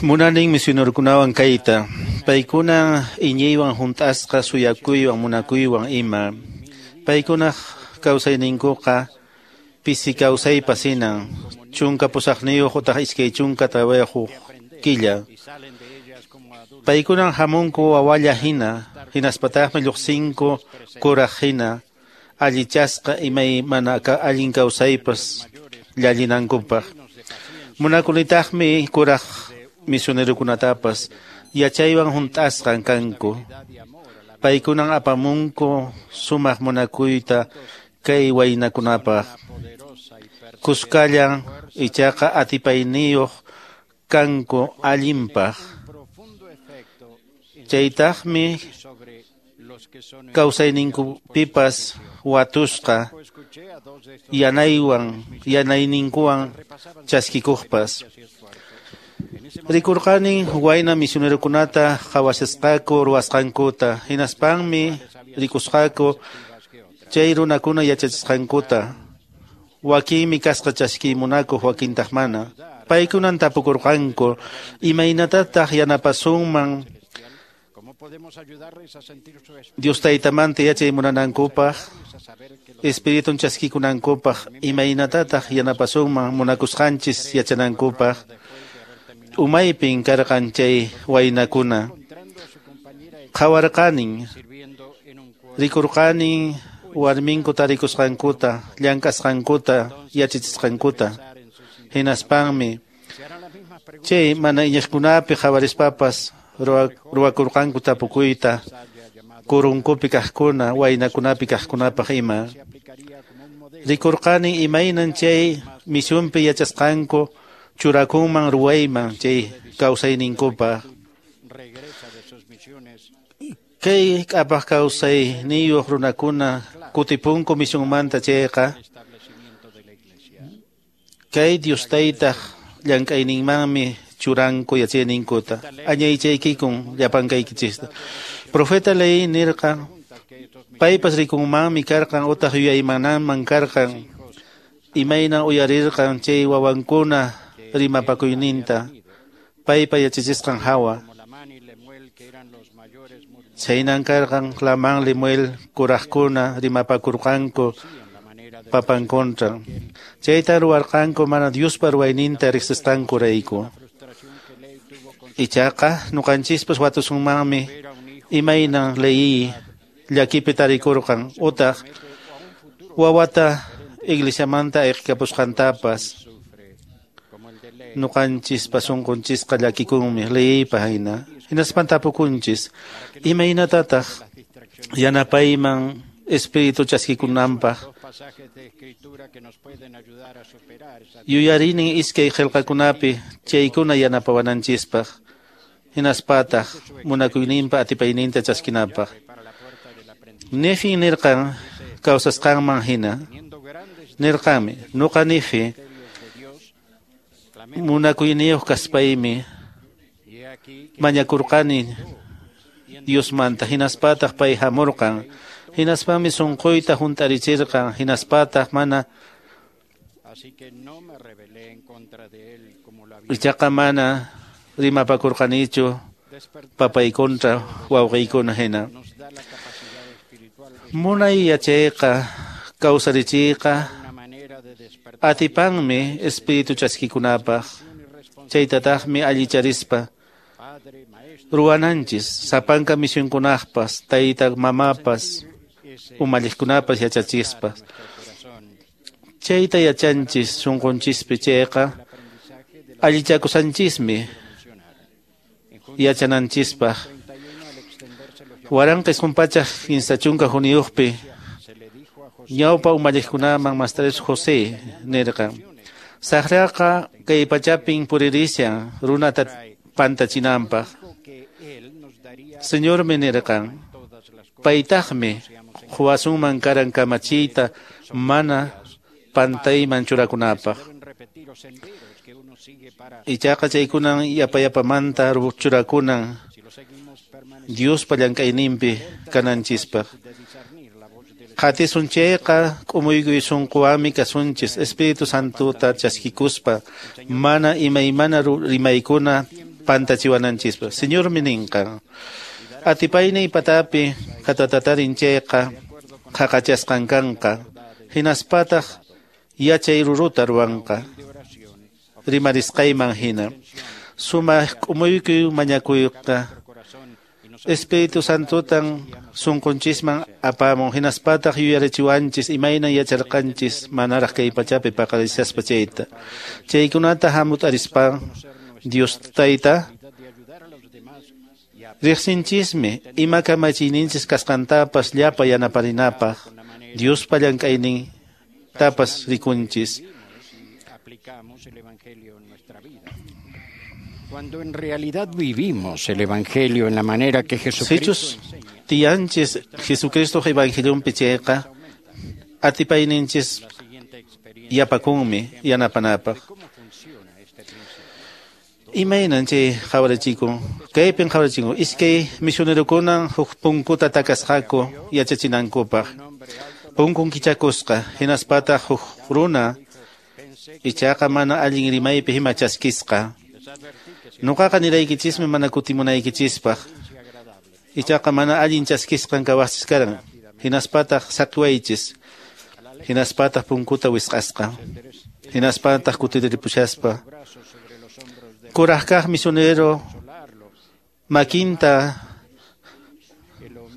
Munanin misionerokunawan kayta, paykuna iñiywan hunt'asqa suyakuywan munakuywan ima. Paykunaq kawsayninkuqa pisi kawsaypas hinan, chunka pusaqniyuq utaq iskay chunka tawayuq killa. Paykunan hamunku wawalla hina, hinaspataqmi lluqsinku kuraq hina, allichasqa imaymana allin kawsaypas llallinankupaq. Munakunitaqmi kuraq misionerokunatapas yachaywan hunt'asqan kanku. Paykunan apamunku sumaq munakuyta kay waynakunapaq. Kuskallan ichaqa atipayniyuq kanku allinpaq. Chaytaqmi kawsayninkupipas watusqa yanaywan yanayninkuwan chaskikuqpas. Rikurqanin wayna misionerokunata qhawashasqaku ruwasqankuta, hinaspanmi rikusqaku chay runakuna yachachisqankuta. Wakinmi kasqa chaskimunakuq, wakintaq mana. Paykunan tapukurqanku imaynatataq yanapasunman Dios taytamanta yachay munanankupaq, Espiritun chaskikunankupaq, imaynatataq yanapasunman munakusqanchis yachanankupaq. Umaypin karqan chay waynakuna. Qhawarqanin, rikurqanin warminku tarikusqankuta, llank'asqankuta, yachachisqankuta. Hinaspanmi chay mana iñiqkunapi qhawarispapas ruwakurqanku tapukuyta kurunkupi kaqkuna, waynakunapi kaqkunapaq ima. Rikurqanin imaynan chay misionpi yachasqanku churakunman ruwayman chay kawsayninkupaq. Kay k'apaq kawsayniyuq runakuna kutipunku misionmanta chayqa, kay Dios taytaq llank'ayninmanmi churanku yachayninkuta. Añaychaykikun llapankaykichista. Profeta Lehi nirqan, paypas rikunmanmi karqan utaq yuyaymananman karqan, imaynan uyarirqan chay wawankuna rimapakuyninta, paypa yachachisqan hawa. Chaynan karqan Lamán Lemuel kuraqkuna rimapakurqanku papan kontra. Chayta ruwarqanku mana Diospa ruwayninta riqsisqankurayku. Ichaqa ñuqanchispas watusunmanmi imaynan Lehi llakipi tarikurqan utaq wawata iglesiamanta ayqikapusqantapas. Ñuqanchispa sunqunchisqa llakikunmi Lehipa hina. Hinaspan tapukunchis imaynatataq yanapayman espíritu chaskikunanpaq. Yuyarinin iskay qillqakunapi chaykuna yanapawananchispaq, hinaspataq munakuyninpa atipayninta chaskinapaq. Nefi nirqan kawsasqanman hina. Nirqanmi, nuqa Nefi munakuyniyuq kaspaymi mañakurqani Diosmanta, hinaspataq pay hamurqan. Hinaspanmi sunquyta hunt'arichirqan, hinaspataq mana ichaqa mana rimapakurqanichu papay kontra wawqiykuna hina. Munay yachayqa kawsarichiyqa atipanmi espíritu chaskikunapaq, chaytataqmi allicharispa ruwananchis sapanka misionkunaqpas, tayta mamapas, umalliqkunapas yachachispas. Chayta yachanchis sunqunchispi chayqa allichakusanchismi yachananchispaq. Waranqa isqun pachak kimsa chunka hukniyuqpi ñawpa umalliqkunaman Maestro José nirqan, saqraqa kay pachapin puririshan runata pantachinanpaq. Señormi nirqan, paytaqmi quwasunman karan kamachiyta mana pantayman churakunapaq. Ichaqa chaykunan yapayapamanta churakunan Diospa llank'ayninpi kananchispaq. Qatisun chayqa k'umuykuy sunquwanmi kasunchis Espíritu Santota chaskikuspa mana imaymana rimaykuna pantachiwananchispa. Señormi ninqa atipayniy patapi katatatarin chayqa qhaqachasqan kanqa hinaspataq yachay ruruta ruwanqa rimarisqayman hina sumaq k'umuykuy mañakuyqa Espíritu Santotan sunqunchisman apamun hinaspataq yuyarichiwanchis imaynan yacharqanchis manaraq kay pachapi paqarishaspa chayta. Chaykunata hamut'arispa Dios Tayta riqsinchismi ima kamachiyninchis kasqantapas llapa yanaparinapaq Diospa llank'aynin tapas rikunchis. Cuando en realidad vivimos el Evangelio en la manera que Jesucristo Sichus tiyanchis Jesucristo evangelionpi chayqa atipayninchis yapakunmi yanapanapaq. Imaynan chay qhawarichikun kaypin qhawarichikun iskay misionerokunan huk punkuta takasqaku yachachinankupaq punkun kichakusqa hinaspataq huk runa ichaqa mana allin rimaypi hima chaskisqa. Nuqaqa niraykichismi mana kutimunaykichispaq ichaqa mana allin chaskisqan kawaqchis karan hinaspataq saqiwaychis hinaspataq punkuta wisq'asqa hinaspataq kutiriripushaspa kuraq kaq misionero makinta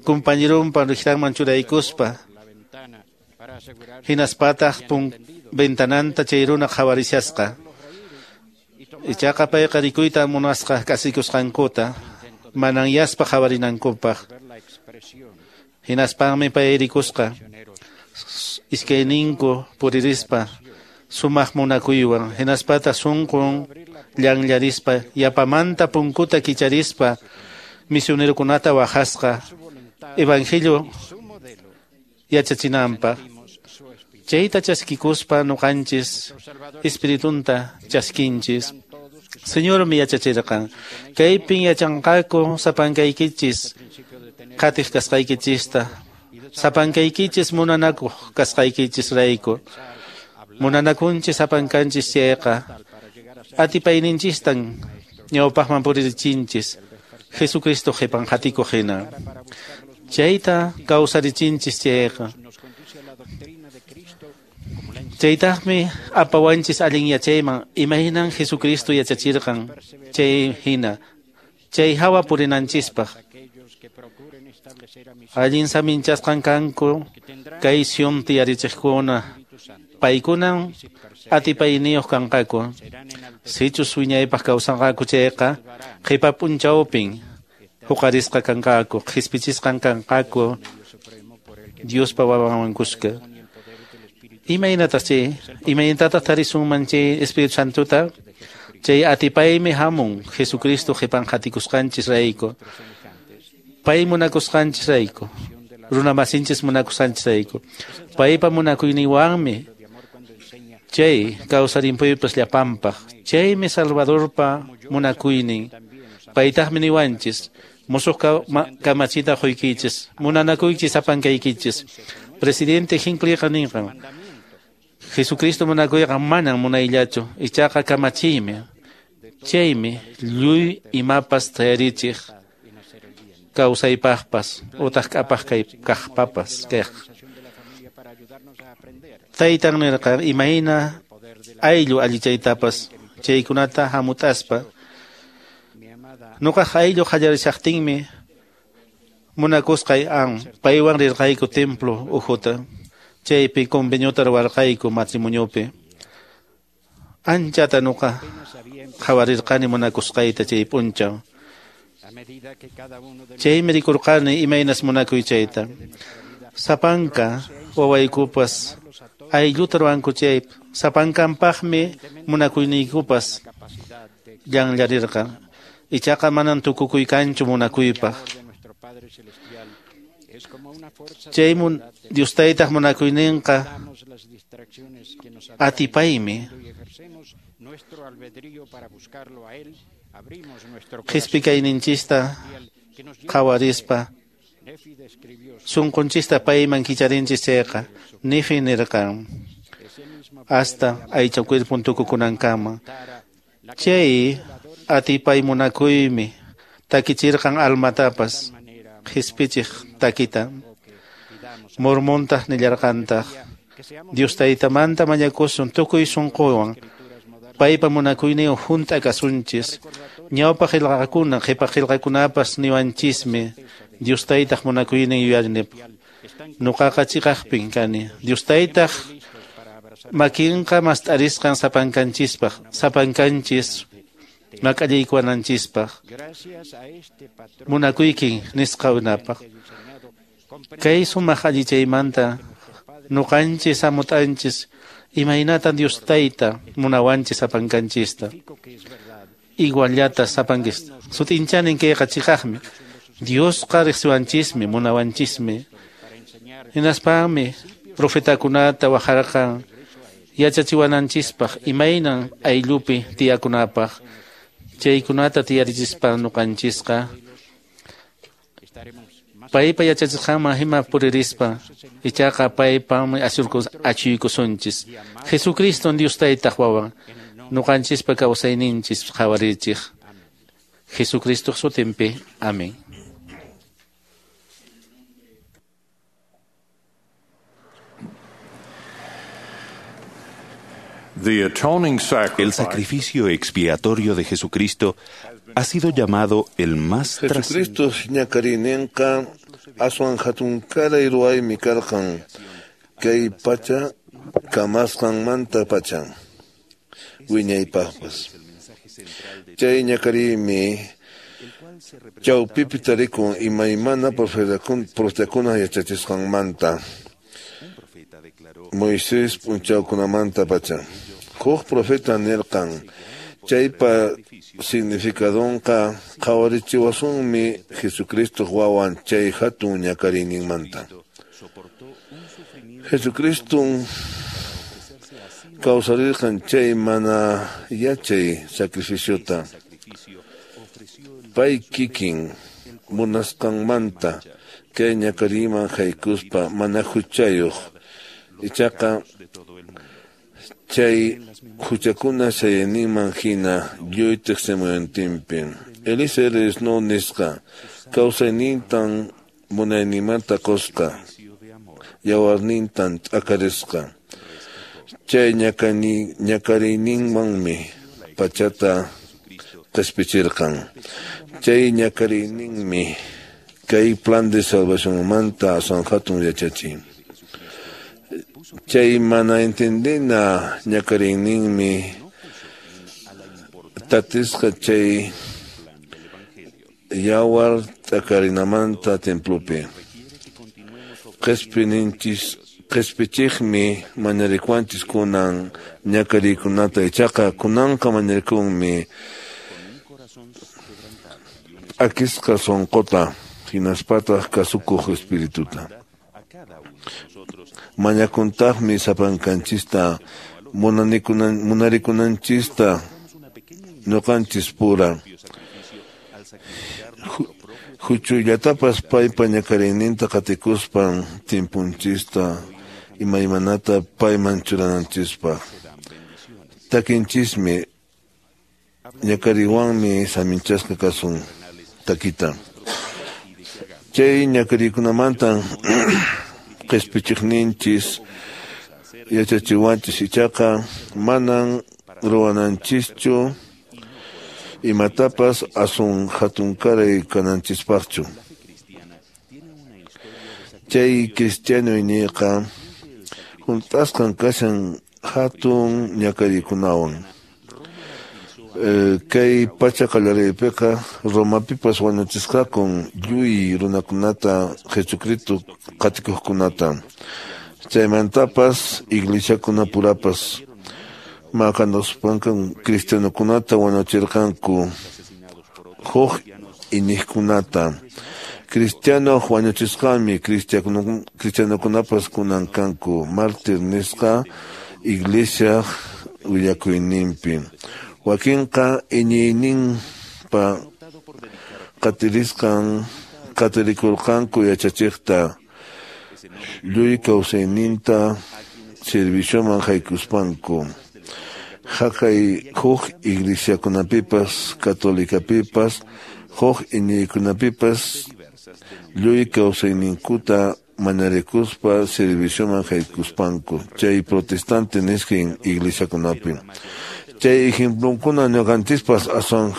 compañerompa riqranman churaykuspa hinaspataq pun ventananta chay runa qhawarishasqa ichaqa payqa rikuyta munasqa kasikusqankuta mananyaspa qhawarinankupaq hinaspanmi pay rikusqa iskayninku puririspa sumaq munakuywan hinaspataq sunqun llanllarispa yapamanta punkuta kicharispa misionerokunata waqasqa evangelio yachachinanpaq. Chayta chaskikuspa nuqanchis espiritunta chaskinchis. Señormi yachachirqan kaypin yachanqaku sapankaykichis qatiq kasqaykichista sapankaykichis munanakuq kasqaykichis rayku munanakunchis sapankanchis chayqa atipayninchistan ñawpaqman puririchinchis Jesucristo qhipan qhatikuq hina chayta kawsarichinchis chayqa chaytaqmi apawanchis allin yachayman imaynan Jesucristo yachachirqan chay hina chay hawa purinanchispaq allin saminchasqan kanku kay Sion tiyarichiqkuna paykunan atipayniyuq kanqaku sichus wiñaypaq kawsanqaku chayqa qhipa p'unchawpin huqarisqa kanqaku qhispichisqan kanqaku Diospa wawanwan kuska. Imaynatas chay imaynatataq tarisunman chay Espíritu Santota chay atipaymi hamun Jesucristo qhipan qhatikusqanchis rayku pay munakusqanchis rayku runa masinchis munakusqanchis rayku paypa munakuyninwanmi chay kawsarimpuypas llapanpaq chaymi Salvadorpa munakuynin paytaqmi niwanchis musuq kamachita quykichis munanakuychis sapankaykichis. Presidente Hinckleyqa ninqan Jesucristo munakuyqa manan munayllachu ichaqa kamachiymi chaymi lluy imapas tayarichiq kawsaypaqpas utaq k'apaq kay kaqpapas kaq taytan nirqan imayna ayllu allichaytapas chaykunata hamut'aspa nuqaq ayllu qallarishaqtinmi munakusqay an paywan rirqayku templo ukhuta chaypi conveniota ruwarqayku matrimoniopi anchata nuqa qhawarirqani munakusqayta chay p'unchaw chaymi rikurqani imaynas munakuy chayta sapanka wawaykupas aylluta ruwanku chay sapankanpaqmi munakuyniykupas llanllarirqan ichaqa manan tukukuy kanchu munakuypaq chay mun Dios taytaq munakuyninqa atipaymi qhispikayninchista qhawarispa Sunqunchista payman kicharinchis chayqa, Nefi nirqan hasta aycha cuerpon tukukunankama. Chay atipay munakuymi takichirqan almatapas qispichiq takita. Mormontaq nillarqantaq Dios taytamanta mañakusun tukuy sunquwan paypa munakuynin hunt'a kasunchis. Ñawpa qillqakuna qhipa qillqakunapas niwanchismi Dios taytaq munakuynin yuyarinipaq. Nuqaqa chiqaqpin kani. Dios taytaq makinqa mast'arisqan sapankanchispaq, sapankanchis mak'allaykuwananchispaq. Munakuykin nisqa unapaq. Kay sumaq allichaymanta nuqanchis hamut'anchis imaynatan Dios tayta munawanchis sapankanchista. Iguallata sapankista. Sut'inchanin kayqa chiqaqmi. Diosqa riqsiwanchismi, munawanchismi. Hinaspami profetakunata wajarqan yachachiwananchispaq imaynan ayllupi tiyakunapaq. Chaykunata tiyarichispa nuqanchisqa paypa yachachisqanman hina puririspa ichaqa paypami achuykusunchis. Jesucristo Dios taytaq wawan nuqanchispa kawsayninchis qhawarichik. Jesucristo sutinpi. Amén. El sacrificio expiatorio de Jesucristo ha sido llamado el más Jesucristo ñakarininqa aswan hatunkaray ruwaymi karqan kay pacha kamasqanmanta pacha wiñaypaqpas. Chay ñakariymi chawpipi tarikun imaymana profetakuna yachachisqanmanta Moisés p'unchawkunamanta pacha. Huk profeta nirqan chaypa significadonqa qhawarichiwasunmi Jesucristo wawan chay hatun ñakariyninmanta. Jesucristo kawsarirqan chay mana yachay sacrificiota. Pay kikin munasqanmanta kay ñakariyman haykuspa mana huchayuq. Ichaqa chay huchakuna chayayninman hina lluy tiqsimuyuntinpi. Elisa Snow nisqa kawsaynintan munayninmanta qusqa, yawarnintan t'akarisqa. Chay ñakariyninmanmi pachata qispichirqan. Chay ñakariyninmi kay plan de salvacionmanta aswan hatun yachachin. Chay mana entendina ñakariyninmi tatisqa chay yawar t'akarinamanta templopi. Qispininchis qispichiqmi mañarikuwanchis kunan ñakariykunata ichaqa kunanqa mañarikunmi p'akisqa sunquta hinaspataq kasukuq espirituta. Mañakuntaqmi sapankanchista munarikunanchista ñuqanchis pura. Huchuyllatapas paypa ñakariyninta qatikuspan timpunchista imaymanata payman churananchispaq. Takinchismi ñakariwanmi saminchasqa kasun takita. Chay ñakariykunamantan qispichiqninchis yachachiwanchis ichaqa manan ruwananchischu imatapas asun hatunkaray kananchispaqchu. Chay cristiano iñiyqa hunt'asqan kashan hatun ñakariykunawan. Kay pacha qallariypiqa Romapipas wañuchisqakun lluy runakunata Jesucristo qatikuqkunata. Chaymantapas iglesiakunapurapas maqanaspanku cristianokunata wañuchirqanku huk iñiqkunata. Cristiano wañuchisqanmi cristianokunapas kunan kanku mártir nisqa iglesia willakuyninpi. Wakinqa iñiyninpa qatirisqan qatirikurqanku yachachiqta lluy kawsayninta servicioman haykuspanku. Haqay huk iglesiakunapipas, católicapipas, huk iñiykunapipas lluy kawsayninkuta mañarikuspa servicioman haykuspanku chay protestante nisqa iglesiakunapi. Chay ejemplonkuna ñuqanchispas aswan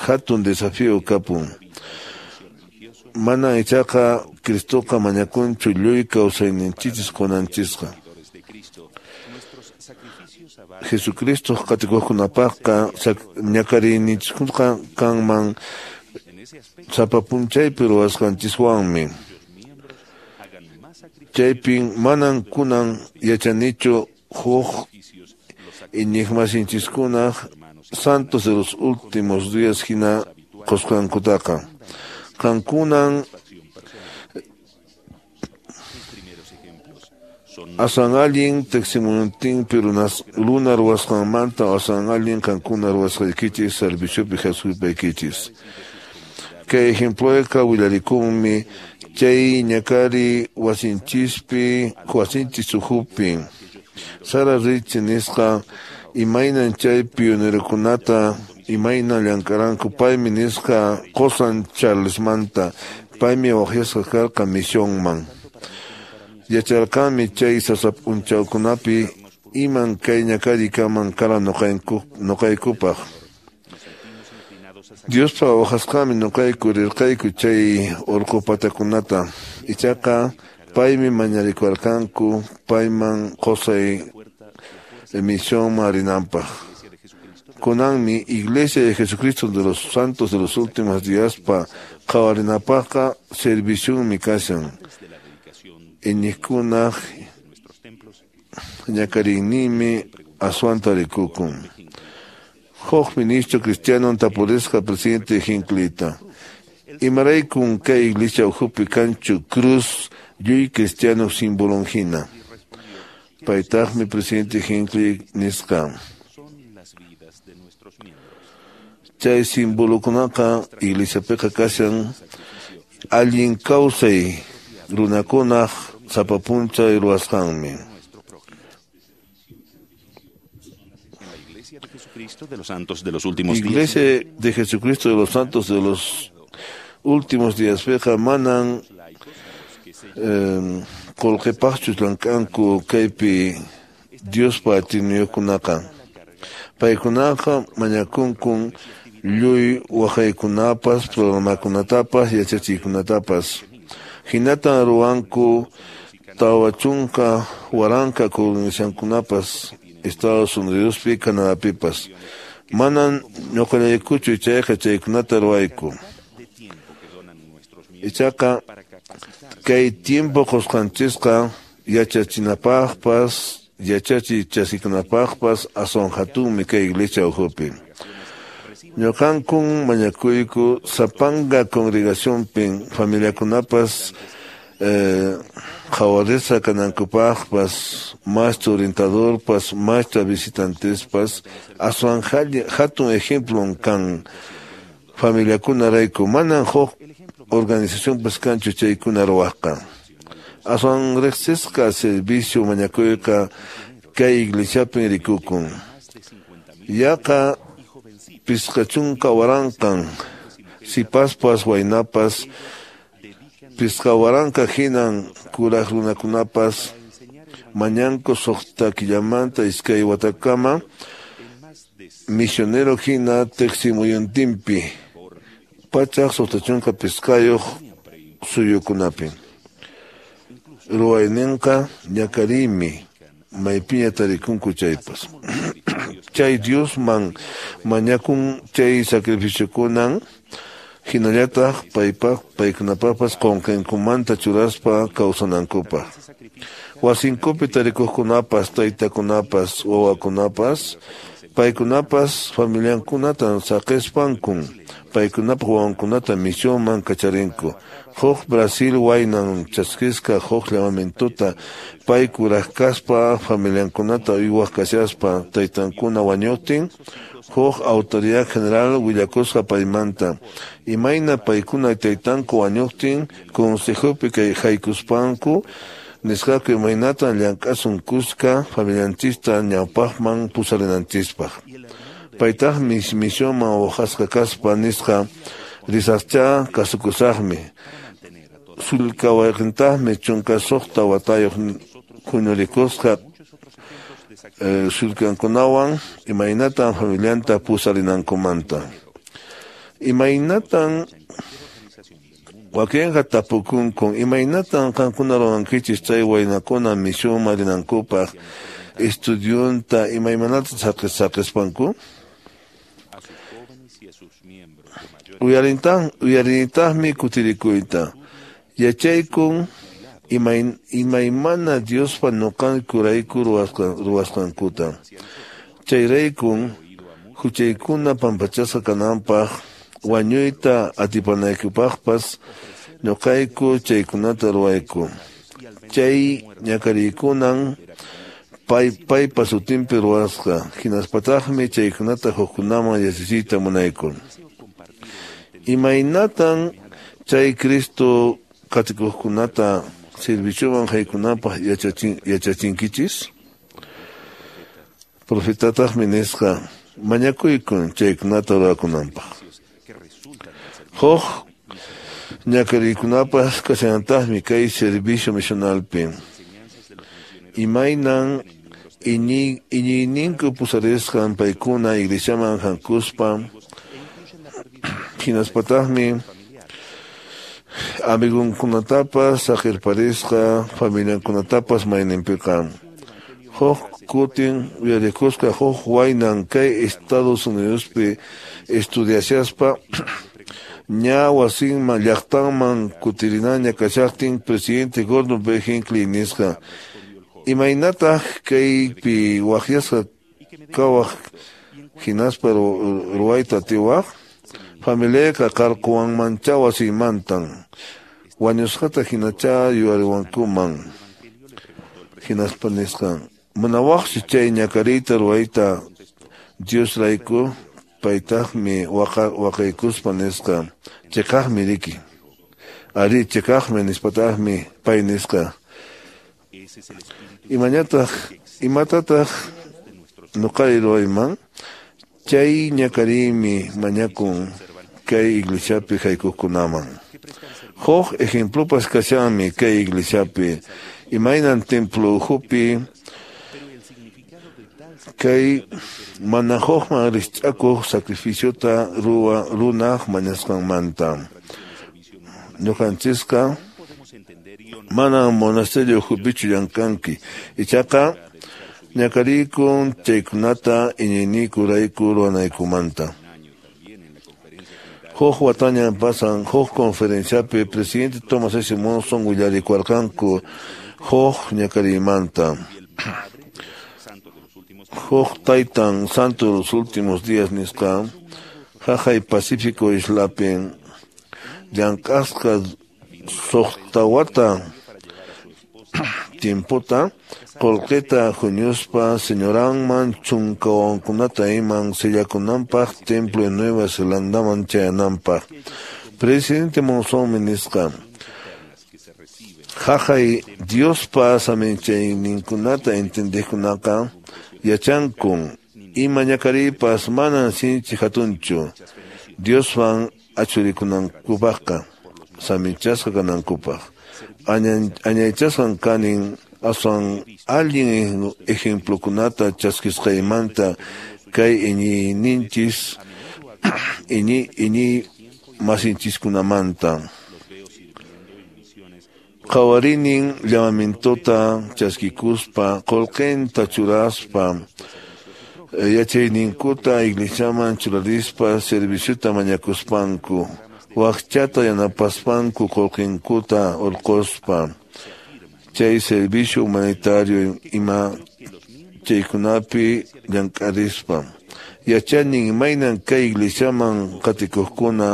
hatun desafío kapun. Mana ichaqa Cristoqa mañakunchu lluy kawsayninchis qunanchisqa. Jesucristo qatikuqkunapaqqa ñakariyninchikqa kanman sapa p'unchaypi ruwasqanchiswanmi. Chaypin manan kunan yachanichu huk iñiqmasinchiskunaq santos de los últimos días hina qusqankutaqa. Qankunan aswan allin tiqsimuntinpi runa ruwasqanmanta aswan allin qankuna ruwasqaykichis serviciopi haspaykichis. Kay ejemployqa willarikunmi chay ñakari wasinchispi wasinchis ukhupi. Sara Rich nisqa imaynan chay pionerokunata imaynan llank'aranku paymi nisqa qusan Charlesmanta paymi waqyasqa karqa misionman. Yacharqanmi chay sasa p'unchawkunapi iman kay ñakari kaman kara ñuqaykupaq. Diospa waqasqanmi ñuqayku rirqayku chay urqu patakunata. Ichaqa paymi mañarikuwarqanku payman qusay misionman rinanpaq. Kunanmi Iglesia de Jesucristo de los Santos de los Últimos Díaspa qhawarinapaqqa servicionmi kashan. Iñiqkunaq ñakariyninmi aswanta rikukun. Huk ministro cristiano tapurisqa presidente Hinckleyta. Imaraykun kay iglesia ukhupi kanchu cruz lluy cristiano simbolon hina. Paytaqmi presidente Hinckley nisqa. Chay simbolokunaqa iglesiapiqa kashan allin kawsay runakunaq sapa p'unchay ruwasqanmi. Iglesia de Jesucristo de los Santos de los Últimos Días piqa manan eh, qullqipaqchu llank'anku kaypi Diospa atiyniyuqkunaqa. Paykunaqa mañakunkun lluy waqaykunapas, programakunatapas, yachachiykunatapas. Hinatan ruwanku tawa chunka waranqa congregacionkunapas Estados Unidospi, Canadapipas. Manan ñuqallaykuchu chayqa chaykunata ruwayku. Ichaqa kay tiempo qusqanchisqa yachachinapaqpas, yachachiy chaskikunapaqpas aswan hatunmi kay iglesia ukhupi. Ñuqankun mañakuyku sapanka congregacionpin familiakunapas eh, qhawarisqa kanankupaqpas, maestro orientadorpas, maestra visitantespas, aswan hatun ejemplon kan familiakunarayku. Manan huk organizacionpas kanchu chaykuna ruwaqqa. Aswan riqsisqa servicio mañakuyqa kay iglesiapin rikukun. Yaqa pisqa chunka waranqan sipaspas waynapas pisqa waranqa hinan kuraq runakunapas mañanku suqta killamanta iskay watakama misionero hina tiqsimuyuntinpi pachaq suqta chunka pisqayuq suyukunapi. Ruwayninqa ñakariymi maypiña tarikunku chaypas. Chay Diosman mañakun chay sacrificiokunan hinallataq paypaq paykunapaqpas qunqankumanta churaspa kawsanankupaq. Wasinkupi tarikuqkunapas, taytakunapas, wawakunapas, paykunapas familiankunatan saqispankun paykunapaq wawankunata misionman kacharinku. Huk Brasil waynan chaskisqa huk llamamientuta pay kuraq kaspa familiankunata uywaq kashaspa taytankuna wañuqtin Huk autoridad general willakusqa paymanta. Imayna paykuna taytanku wañuqtin consejopi kay haykuspanku nisqaku imaynatan llank'asun kuska familianchista ñawpaqman pusarinanchispaq. Paytaqmi misionman waqasqa kaspa nisqa risaqcha kasukusaqmi. Sulka wayqintaqmi chunka suqta watayuq huñurikusqa eh, sulkankunawan imaynatan familianta pusarinankumanta. Imaynatan wakinqa tapukunkun imaynatan qankuna ruwankichis chay waynakuna misionman rinankupaq estudiunta imaymanata saqispanku. Uyarintan uyarinitaqmi kutirikuyta. Yachaykun imay imaymana Diospa ñuqankurayku ruwasqankuta. Chayraykun huchaykuna pampachasqa kananpaq wañuyta atipanaykupaqpas ñuqayku chaykunata ruwayku. Chay ñakariykunan pay paypa sutinpi ruwasqa hinaspataqmi chaykunata hukkunaman yachachiyta munayku. Imaynatan chay Cristo qatikuqkunata servicioman haykunapaq yachachin yachachinkichis? Profetataqmi nisqa mañakuykun chaykunata ruwakunanpaq. Huk ñakariykunapas kashanantaqmi kay servicio misionalpi. Imaynan iñi iñiyninku pusarisqan paykuna iglesiaman hankuspa hinaspataqmi amigunkunatapas saqirparisqa familiankunatapas mayninpiqa. Huk kutin uyarikusqa huk waynan kay Estados Unidospi estudiashaspa ña wasinman llaqtanman kutirinaña kashaqtin presidente Gordon B. Hinckley nisqa imaynataq kaypi waqyasqa kawaq hinaspa ruwayta atiwaq familiayqa qarquwanmancha wasinmantan wañusqata hinacha yuyariwankuman hinaspa nisqa munawaqchu chay ñakariyta ruwayta Diosrayku paytaqmi waqa waqaykuspa nisqa chiqaqmi riki ari chiqaqmi nispataqmi pay nisqa imañataq imatataq ñuqari ruwayman chay ñakariymi mañakun kay iglesiapi haykuqkunaman. Huk ejemplopas kashanmi kay iglesiapi imaynan templo ukhupi kay mana hukman rikch'akuq sacrificiota ruwa runaq mañasqanmanta. Ñuqanchisqa manam monasterio ukhupichu llamk'anki ichaqa ñakariykun chaykunata iñiynikurayku ruwanaykumanta. Huk watañan pasan huk conferenciapi presidente Thomas S. Monson willarikuarqanku huk ñakariymanta. Huk taytan santo de los últimos días nisqa haqay Pacífico islapi llank'asqa suqta wata tiempota qullqita huñuspa señoranman chunka wawankunata iman sillakunanpaq templo de Nueva Zelandaman chayananpaq. Presidente Monsonmi nisqa haqay Diospa saminchayninkunata entendiqkunaqa yachankun ima ñakariypas manan sinchi hatunchu Dioswan achurikunankupaqqa saminchasqa kanankupaq. Añaychasqan kanin aswan allin ejemplokunata chaskisqaymanta kay iñiyninchis iñi iñi masinchiskunamanta. Qhawarinin llamamientota chaskikuspa qullqinta churaspa yachayninkuta iglesiaman churarispa serviciota mañakuspanku waqchata yanapaspanku qullqinkuta urquspa chay servicio humanitario ima chaykunapi llank'arispa. Yachanin imaynan kay iglesiaman qatikuqkuna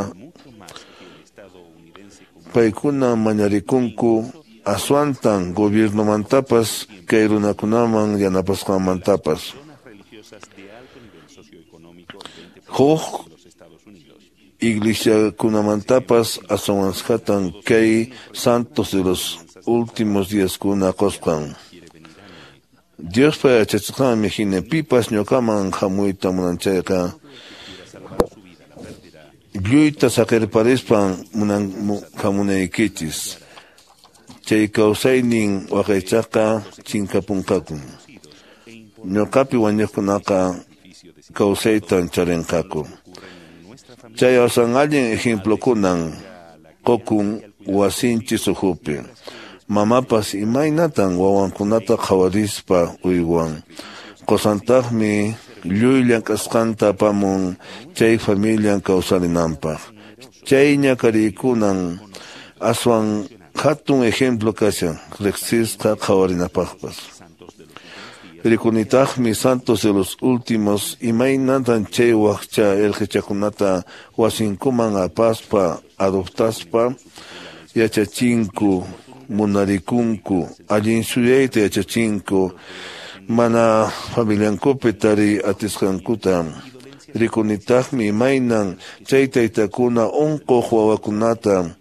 paykuna mañarikunku aswantan gobiernomantapas kay runakunaman yanapasqanmantapas. Huk iglesiakunamantapas aswanskatan kay santos de los últimos días kuna qusqan. Diospa yachachisqanmi hina pipas ñuqaman hamuyta munan chayqa lluyta saqirparispan munan hamunaykichis. Chay kawsaynin waqaychaqqa chinkapunqaku. Ñuqapi wañuqkunaqa kawsaytan charinqaku. Chay asan allin ejemplokunan qukun wasinchis ukhupi. Mamapas imaynatan wawankunata qhawarispa uywan. Qusantaqmi lluy llank'asqanta apamun chay familian kawsarinanpaq. Chay ñakariykunan aswan hatun ejemplo kashan riqsisqa qhawarinapaqpas. Rikunitaqmi santos de los últimos imaynatan chay waqcha irqichakunata wasinkuman apaspa adoptaspa yachachinku munarikunku allin suyayta yachachinku mana familiankupi tariy atisqankuta. Rikunitaqmi imaynan chay taytakuna unquq wawakunata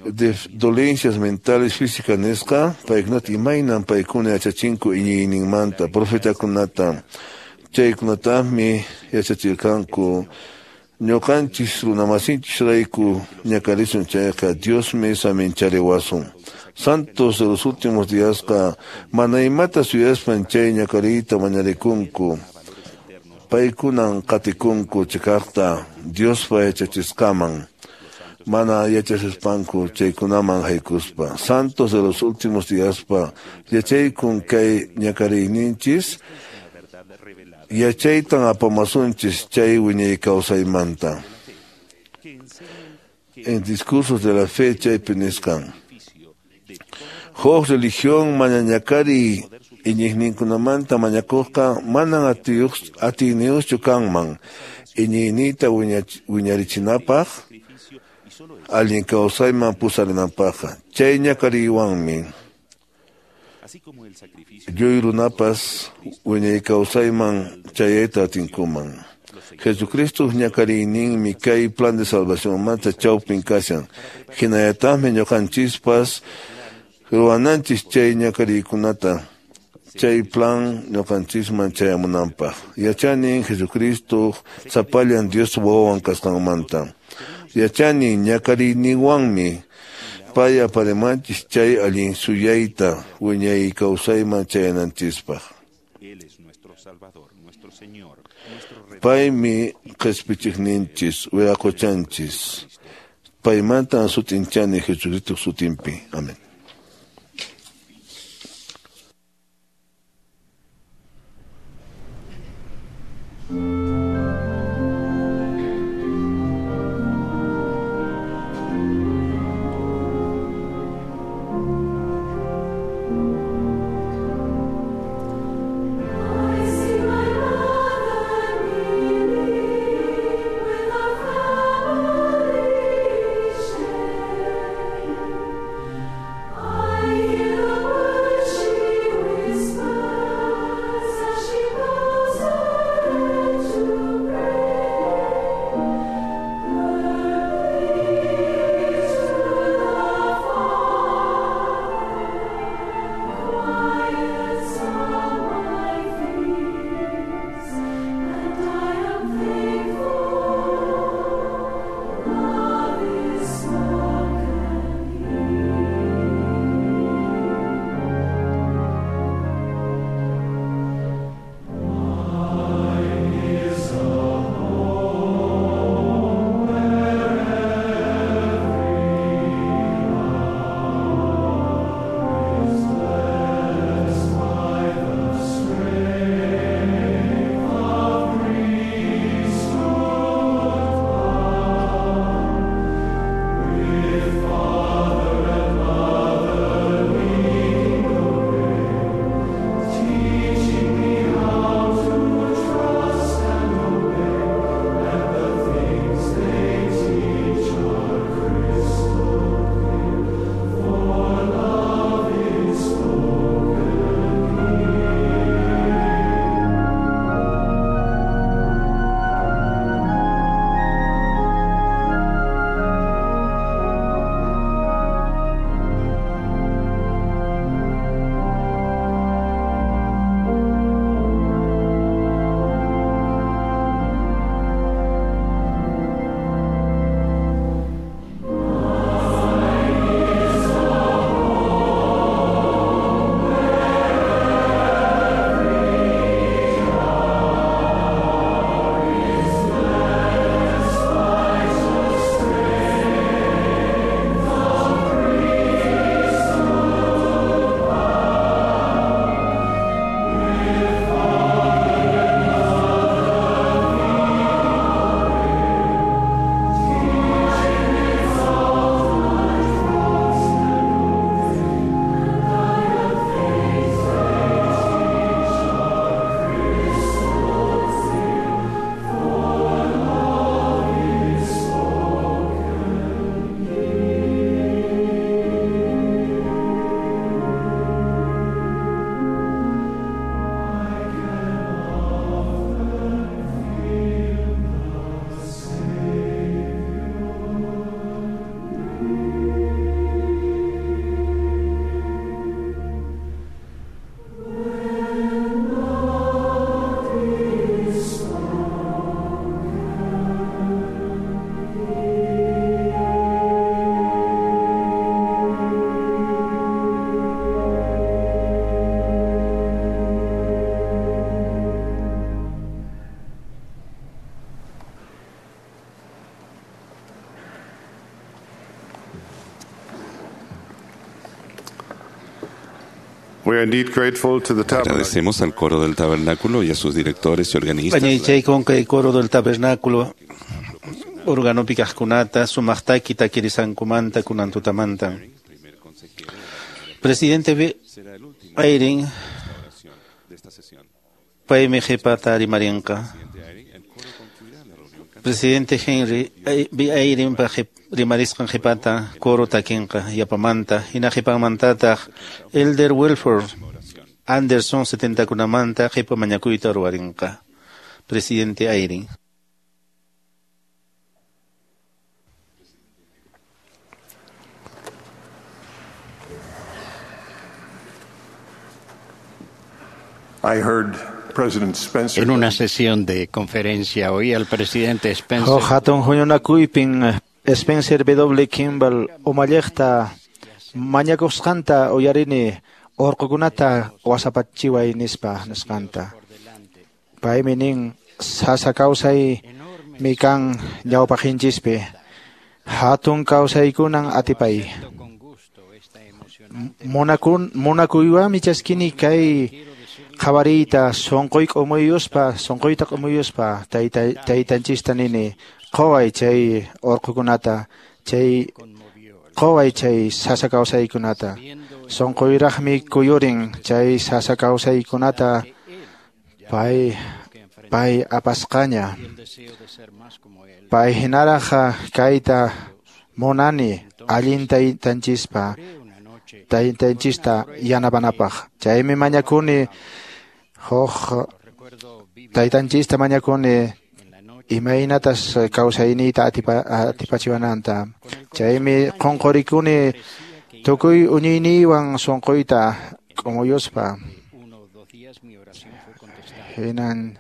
de dolencias mentales físicas nisqa paykunata imaynan paykuna yachachinku iñiyninmanta profetakunata. Chaykunataqmi yachachirqanku ñuqanchis runamasinchis rayku ñakarisun chayqa Diosmi saminchariwasun. Santos de los últimos díasqa mana imata suyaspan chay ñakariyta mañarikunku. Paykunan qatikunku chiqaqta Diospa yachachisqaman mana yachasispanku chaykunaman haykuspa. Santos de los últimos díaspa yachaykun kay ñakariyninchis yachaytan apamasunchis chay wiñay kawsaymanta. En discursos de la fe chaypi nisqan. Huk religión mana ñakariy iñiqninkunamanta mañakuqqa manan atiyniyuqchu kanman iñiyniyta wiñarichinapaq allin kawsayman pusarinanpaqqa. Chay ñakariywanmi lluy runapas wiñay kawsayman chayayta atinkuman. Jesucristo ñakariyninmi kay plan de salvacionmanta chawpin kashan. Hinallataqmi ñuqanchispas ruwananchis chay ñakariykunata chay plan ñuqanchisman chayamunanpaq. Yachanin Jesucristo sapallan Dios wawan kasqanmanta. Yachani ñakariyninwanmi pay aparimanchis chay allin suyayta wiñay kawsayman chayananchispaq. Paymi qispichiqninchis wiraqochanchis. Paymantan sutinchani Jesucristo sutinpi. Amén. I We are indeed grateful to the tabernacle. Agradecemos al coro del tabernáculo y a sus directores y organistas. Añaychaykum kay coro del tabernáculo organopi kaqkunata sumaqtaki takirisankumanta kunan tutamanta. Presidente B. Eyring paymi qhipata rimarinqa. Presidente Henry B. Eyring pa rimarisqan qhipata coro takinqa yapamanta hina qhipanmantataq Elder Wilford Anderson setentakunamanta qhipa mañakuyta ruwarinqa. Presidente Eyring. I heard President Spencer En una sesión de conferencia oí al presidente Spencer Huk hatun huñunakuypin Spencer W. Kimball umalliqta mañakusqanta uyarini urqukunata wasapachiway nispa nisqanta. Paymi nin sasa kawsay mi kan ñawpaqhinchispi hatun kawsaykunan atipay. Munakun munakuywanmi chaskini kay qhawariyta sunquy k'umuyuspa sunquyta k'umuyuspa tayta taytanchista nini quway chay urqukunata chay quway chay sasa kawsaykunata sunquyraqmi kuyurin chay sasa kawsaykunata pay pay apasqaña pay hinaraq kayta munani allin taytanchispa taytanchista yanapanapaq chaymi mañakuni huk taytanchista mañakuni imaynatas kawsayniyta atipa atipachiwananta chaymi qunqurikuni tukuy uñiyniywan sunquyta k'umuyuspa hinan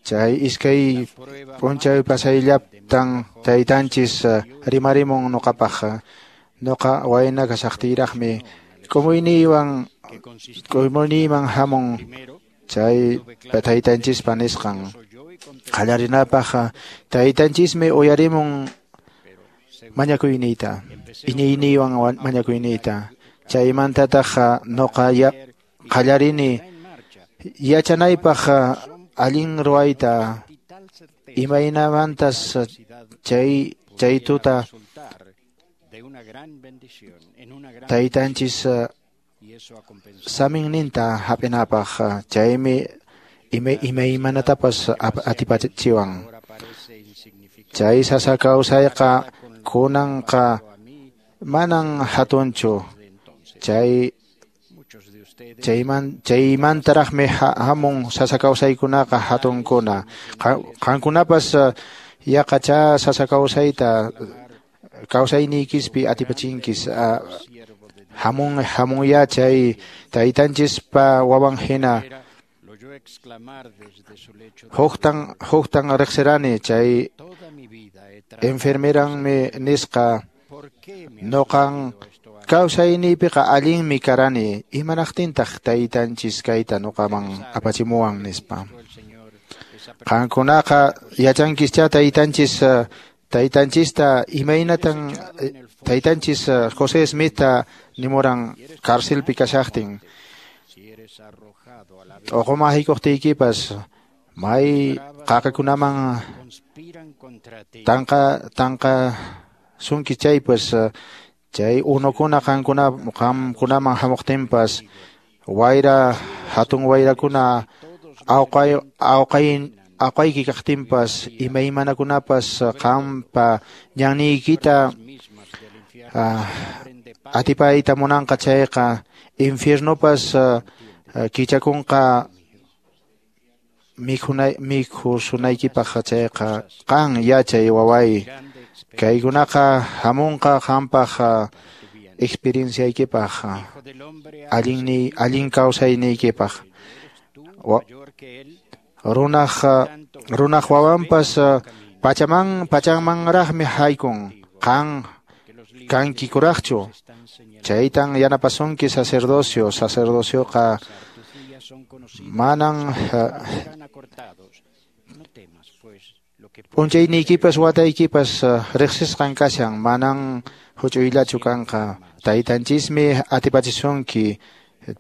chay iskay p'unchay pasayllaptan taytanchis rimarimun nuqapaq nuqa wayna kashaqtiyraqmi k'umuyniywan k'umuyniyman hamun chay taytanchispa nisqan qallarinapaq taytanchismi uyarimun mañakuyniyta iñiyniywan mañakuyniyta chaymantataq nuqa qallarini yachanaypaq allin ruwayta imaynamantas chay chay tuta taytanchis saminninta hap'inapaq chaymi imaymanatapas atipachiwan chay sasa kawsayqa kunanqa manan hatunchu chay chayman chaymantaraqmi hamun sasa kawsaykunaqa hatunkuna qankunapas yaqacha sasa kawsayta kawsayniykispi atipachinkis hamun hamunya chay taytanchispa wawan hina huktan huktan riqsirani chay enfermeranmi nisqa nuqan kawsayniypiqa allinmi karani imanaqtintaq taytanchis kayta nuqaman apachimuwan nispa qankunaqa yachankischa taytanchis taytanchista imaynatan taytanchis José Smithta nimuran carcelpi kashaqtin t'uquman haykuqtiykipas may qaqakunaman tanqa tanqa sunki chaypas chay unukuna qankuna qamkunaman hamuqtinpas wayra hatun wayrakuna awqay awqay awqayki kaqtinpas imaymanakunapas qampa ñanniykita atipayta munanqa chayqa infiernopas kichakunqa mikhunay mikhusunaykipaq chayqa qan yachay waway kaykunaqa hamunqa qampaq experienciaykipaq allinni allin kawsayniykipaq runaq runaq wawanpas pachaman pachanmanraqmi haykun qan kanki kuraqchu chaytan yanapasunki sacerdocio sacerdocioqa manan p'unchayniykipas wataykipas riqsisqan kashan manan huch'uyllachu kanqa taytanchismi atipachisunki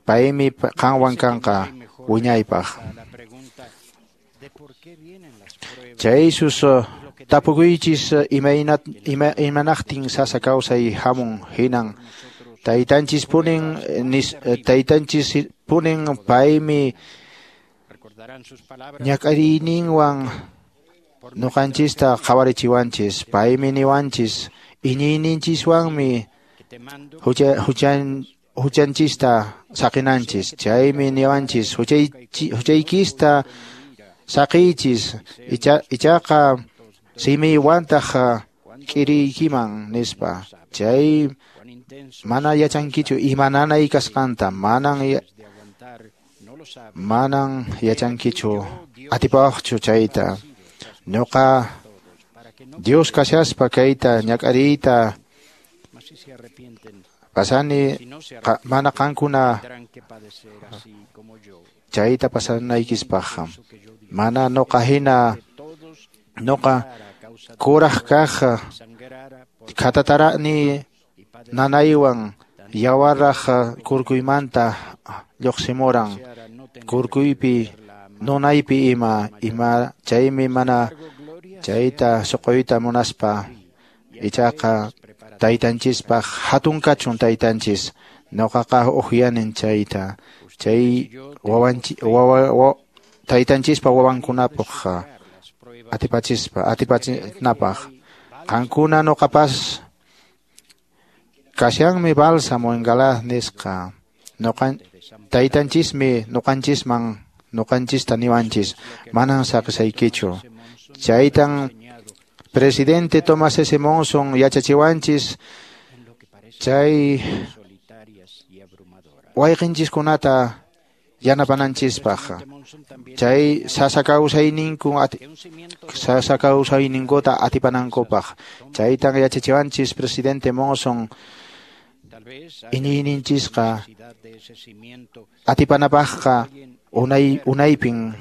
Paymi qanwan kanqa wiñaypaq. Chay sus tapukuychis imaynat ima, imanaqtin sasa kawsay hamun hinan taytanchis punin nis, taytanchis punin paymi ñak'ariyninwan nuqanchista qhawarichiwanchis, paymi niwanchis iñiyninchiswanmi hucha huchan huchanchista saqinanchis, chaymi niwanchis huchaykista saqiychis icha, ichaqa simiywantaj k'iriykiman nispa. Chay mana yachankichu imananay kasqanta, manan manan yachankichu atipawaqchu chayta. Ñuqa Dios kashaspa kayta ñak'ariyta pasani qa, mana qankuna chayta pasanaykispaq. Mana nuqa hina nuqa kuraq kaq khatatarani nanaywan yawarraq kurkuymanta lluqsimuran, kurkuypi nunaypi ima ima chaymi mana chayta suquyta munaspa. Ichaqa taytanchispaq hatun kachun taytanchis, nuqaqa uqyanin chayta chay wawanchi wawa wa, taytanchispa wawankunapaq atipachispa atipachinapaq. Qankuna nuqapas kashanmi bálsamo en Galaad nisqa. Nuqan taytanchismi nuqanchisman nuqanchista niwanchis manan saqisaykichu. Chaytan presidente Thomas S. Monson yachachiwanchis chay wayqinchiskunata yanapananchispaq. Chay sasa kawsayninku sasa kawsayninkuta atipanankupaq. Chaytan yachachiwanchis presidente Monson iñiyninchisqa atipanapaqqa unay unaypin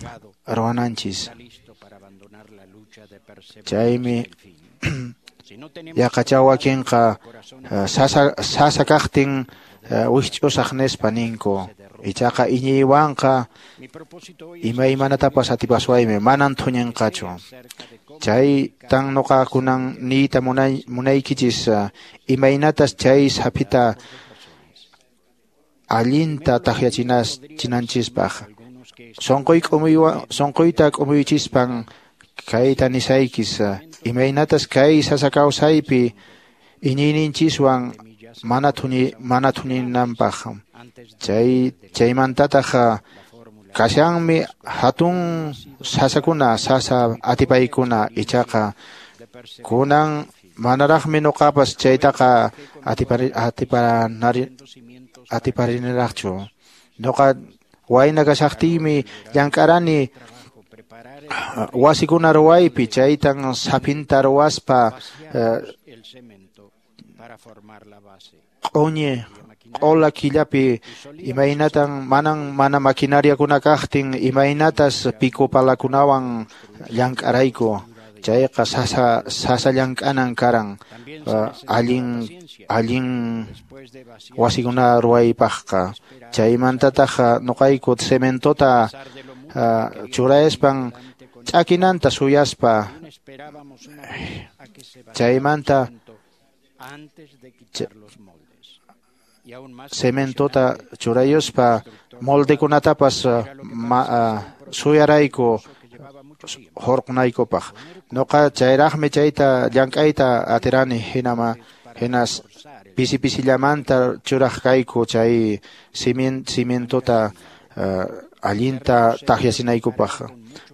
ruwananchis. Chaymi yaqacha wakinqa sasa sasa kaqtin wikch'usaq nispa ninku. Ichaqa iñiywanqa imaymanatapas atipaswaymi, manan thuñinqachu. Chaytan nuqa kunan niyta munay munaykichis imaynatas chay saphita allinta takyachinanchispaq. Sunquy k'umuywan sunquyta k'umuychispan kayta nisaykis imaynatas kay sasa kawsaypi iñiyninchiswan mana thuni mana thuninanpaq. Chay chaymantataq kashanmi hatun sasakuna sasa atipaykuna, ichaqa kunan manaraqmi nuqapas chaytaqa atipari atiparanari atiparinaraqchu. Nuqa wayna kashaqtiymi llank'arani wasikuna ruwaypi, chaytan saphinta ruwaspa q'uñi q'ula killapi imaynatan manan mana maquinariakuna kaqtin imaynatas pico palakunawan llank'arayku. Chayqa sasa sasa llank'anan karan allin allin wasikuna ruwaypaqqa. Chaymantataq nuqayku cementota churaspan ch'akinanta suyaspa chaymanta cementota churayuspa moldekunatapas suyarayku hurqunaykupaq. Nuqa chayraqmi chayta llank'ayta atirani, hinama hinas pisi pisillamanta churaq kayku chay cimientota allinta takyachinaykupaq.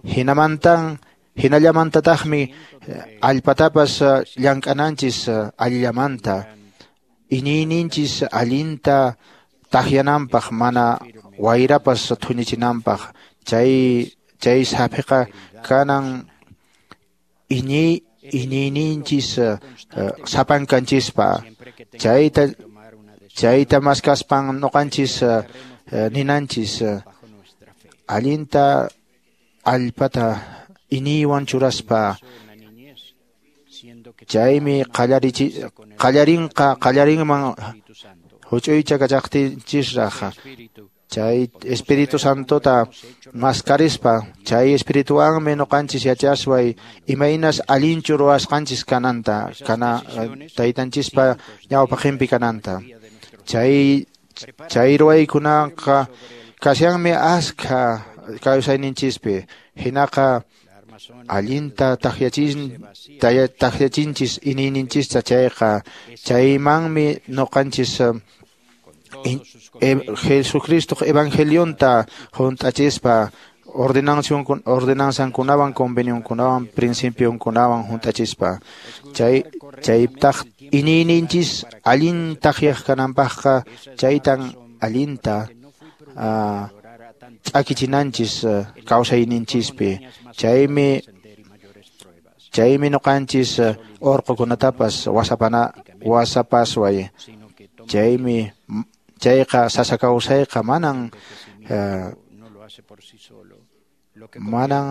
Hinamantan hinallamantataqmi allpatapas llank'ananchis allillamanta iñiyninchis allinta takyananpaq, mana wayrapas thuñichinanpaq. Chay chay saphiqa kanan iñiy iñiyninchis sapankanchispa. Chayta chayta maskaspan nuqanchis ninanchis allinta allpata iñiywan churaspa. Chaymi qallarichi qallarinqa qallarinman huch'uycha kachaqtinchisraq chay Espíritu Santota maskarispa chay espirituwanmi ñuqanchis yachasway imaynas allinchu ruwasqanchis kananta kana taytanchispa ñawpaqinpi kananta chay chay ruwaykunaqa kashanmi askha kawsayninchispi hinaqa allinta takyachin takyachinchis iñiyninchista chayqa chaymanmi ñuqanchis Jesucristo evangelionta hunt'achispa ordenanzankunawan convenionkunawan principionkunawan hunt'achispa chay chaytaq iñiyninchis allin takyaq kananpaqqa chaytan allinta ch'akichinanchis kawsayninchispi chaymi chaymi ñuqanchis urqukunatapas wasapana wasapasway chaymi chayqa sasa kawsayqa manan manan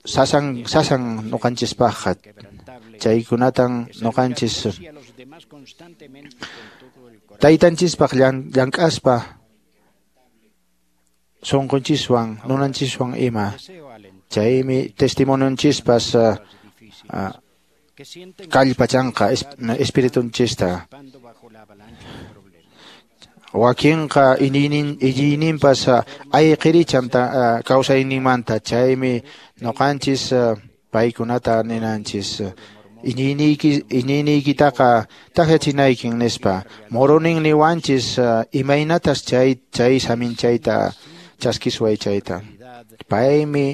sasan sasan ñuqanchispaqqa chaykunatan ñuqanchis taytanchispaq llank'aspa sunqunchiswan nunanchiswan ima chaymi testimonionchispas kallpachanqa espiritunchista wakinqa iñiynin iñiyninpas ayqirichan kawsayninmanta chaymi ñuqanchis paykunata ninanchis iñiyniyki iñiyniykitaqa takyachinaykin nispa Moronin niwanchis imaynatas chay chay saminchayta chaskisway chayta paymi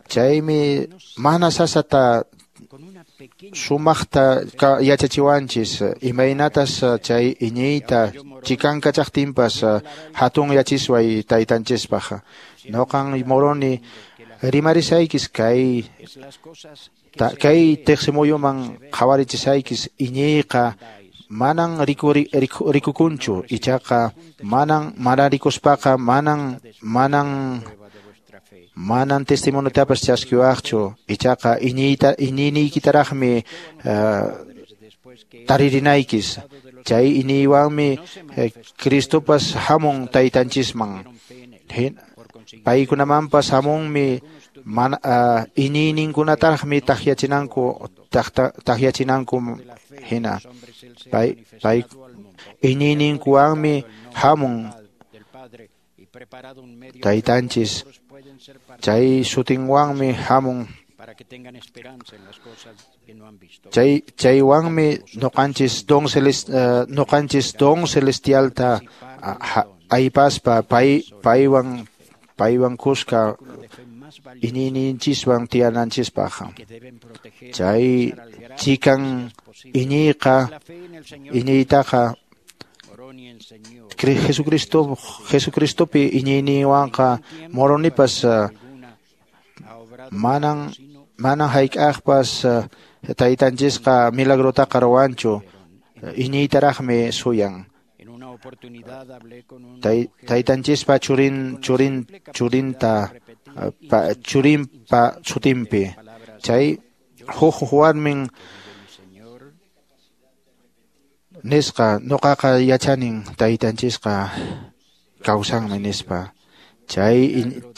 chaymi mana sasata sumaqta yachachiwanchis imaynatas chay iñiyta chikankachaqtinpas hatun yachisway taytanchispaq ñuqan Moroni rimarisaykis kay kay tiqsimuyuman qhawarichisaykis iñiyqa manan rikuri rikukunchu ichaqa manan mana rikuspaqa manan manan manan testimoniotapas chaskiwaqchu ichaqa iñiyta iñiyniykitaraqmi taririnaykis chay iñiywanmi Cristopas hamun taytanchisman paykunamanpas hamunmi mana iñiyninkunataraqmi takyachinanku takyachinanku hina pay pay iñiyninkuwanmi hamun taytanchis chay sutinwanmi hamun chay chaywanmi ñuqanchis don celest ñuqanchis don celestialta aypaspa pay paywan paywan kuska iñiyninchiswan tiyananchispaq chay chikan iñiyqa iñiytaqa Jesucristo Jesucristopi iñiyninwanqa Moronipas manan manan hayk'aqpas taytanchisqa milagrotaqa ruwanchu iñiytaraqmi suyan taytanchispa churin churin churinta churinpa sutinpi chay huk warmin nisqa ñuqaqa yachanin taytanchisqa kawsanmi nispa chay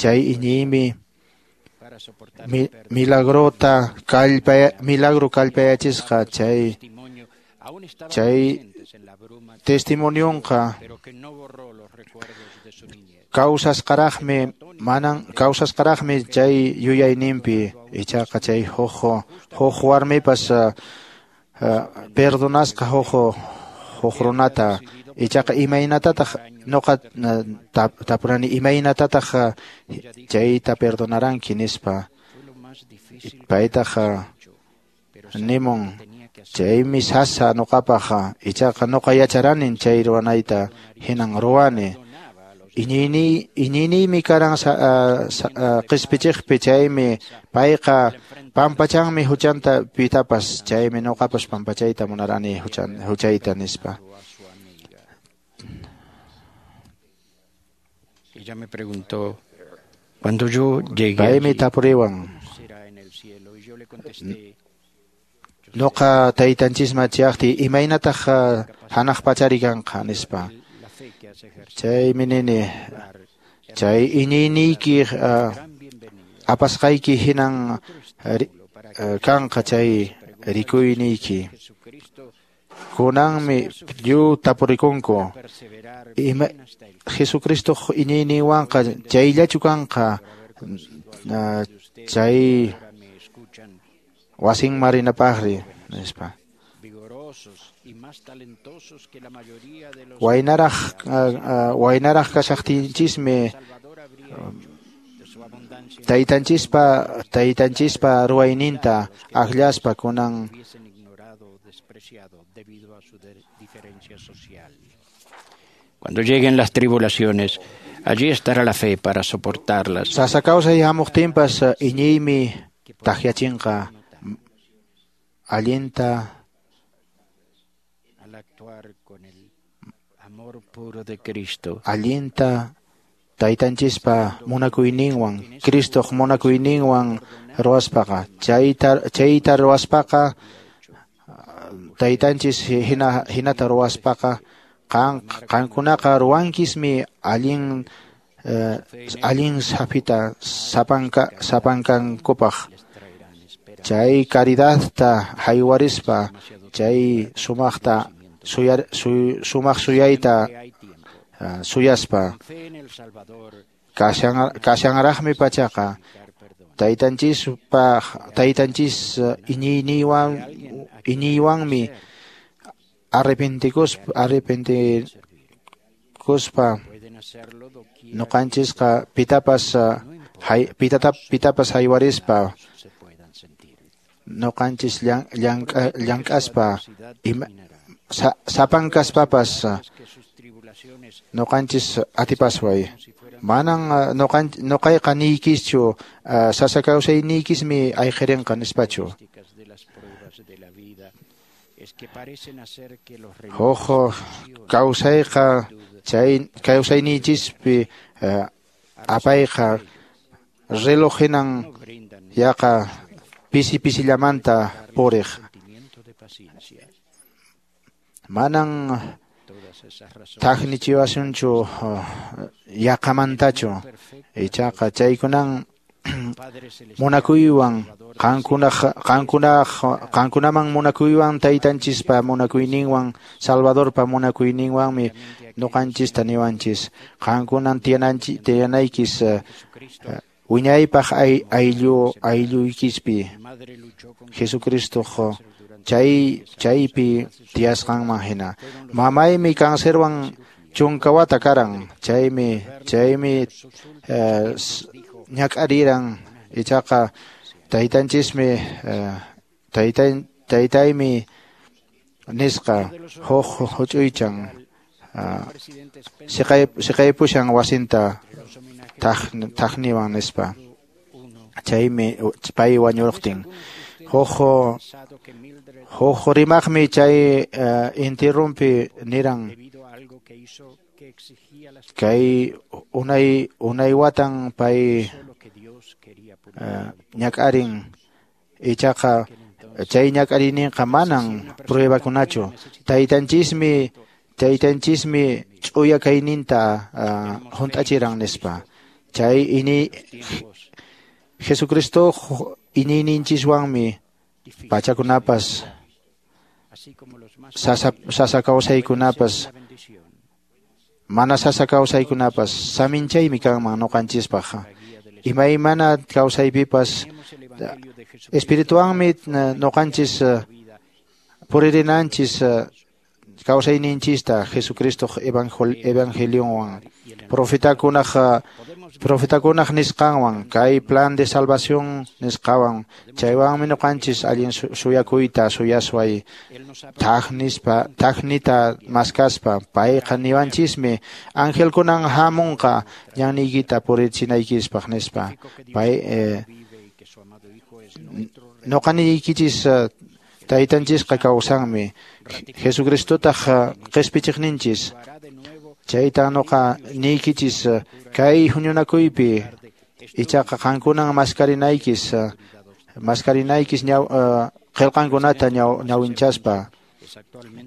chay iñiymi milagrota kallpa milagro kallpayachisqa chay chay testimonionqa kawsasqaraqmi manan kawsasqaraqmi chay yuyayninpi ichaqa chay huk huk warmipas perdonasqa huk huk runata ichaqa imaynatataq ñuqa tapurani imaynatataq chayta perdonaranki nispa paytaq nimun chaymi sasa ñuqapaq ichaqa ñuqa yacharanin chay ruwanayta hinan ruwani iñiyniy iñiyniymi karan qispichiqpi chaymi payqa pampachanmi huchanta pitapas chaymi ñuqapas pampachayta munarani huchan huchayta nispa. Ella me preguntó cuando yo llegué paymi tapuriwan será en el cielo y yo le contesté Noqa taytanchisman chayaqtiy imaynataq hanaq pachari kanqa nispa. Chaymi nini chay iñiyniyki apasqayki hinan kanqa chay rikuyniyki. Kunanmi lliw tapurikunku ima Jesucristo iñiyninwanqa chayllachu kanqa chay wasinman rinapaqri nispa. Waynaraq waynaraq kashaqtinchismi taytanchispa taytanchispa ruwayninta akllaspa kunan Cuando lleguen las tribulaciones, allí estará la fe para soportarlas. Sasa kawsay hamuqtinpas iñiymi takyachinqa allinta al actuar con el amor puro de Cristo. Allinta taytanchispa munakuyninwan, Cristoq munakuyninwan ruwaspaqa, chayta chayta ruwaspaqa taytanchis hina hinata ruwaspaqa qan qankunaqa ruwankismi allin eh, allin sapita sapanka sapankankupaq chay caridadta haywarispa chay sumaqta suyar suy, sumaq suyayta uh, suyaspa kashan kashanraqmi pachaqa taytanchispaq taytanchis iñiyniwan iñiywanmi arrepentikuspa arrepentikuspa ñuqanchisqa pitapas hay, pitata, pitapas haywarispa ñuqanchis llank, llank'aspa ima, sa, sapankaspapas ñuqanchis atipasway manan ñuqan ñuqayqa niykischu sasa kawsayniykismi ayqirinqa nispachu. Huk kawsayqa chay kawsayninchispi apayqa reloj hinan yaqa pisi pisillamanta puriq manan thaknichiwasunchu yaqamantachu ichaqa chaykunan munakuywan qankunaq qankunaq qankunaman munakuywan taytanchispa munakuyninwan Salvadorpa munakuyninwanmi ñuqanchista niwanchis qankunan tiyananchi tiyanaykis wiñaypaq ayllu aylluykispi Jesucristoq chay chaypi tiyasqanman hina. Mamaymi cancerwan chunka wata karan chaymi chaymi eh, ñak'ariran ichaqa taytanchismi taytay taytaymi nisqa huk huch'uychan siqay siqaypushan wasinta thaqniwan nispa chaymi pay wañurqtin. Huk huk rimaqmi chay intirrumpi niran kay unay unay watan pay ñak'arin ichaqa chay ñak'ariyninqa manan pruebakunachu taytanchismi taytanchismi ch'uya kayninta hunt'achiran nispa chay ini Jesucristo iñiyninchiswanmi pachakunapas sasa sasa kawsaykunapas mana sasa kawsaykunapas saminchaymi kanman ñuqanchispaq imaymana kawsaypipas espirituanmi ñuqanchis puririnanchis kawsayninchista Jesucristoq evangelionwan profetakunaq profetakunaq nisqanwan kay plan de salvación nisqawan chaywanmi ñuqanchis allin suyakuyta suyasway thak nispa thaknita maskaspa payqa niwanchismi angelkunan hamunqa ñanniykita purichinaykispaq nispa pay eh, ñuqa niykichis taytanchisqa kawsanmi Jesucristotaq qispichiqninchis chayta ñuqa niykichis kay huñunakuypi ichaqa qankunan maskarinaykis maskarinaykis ñaw qillqankunata ñawinchaspa.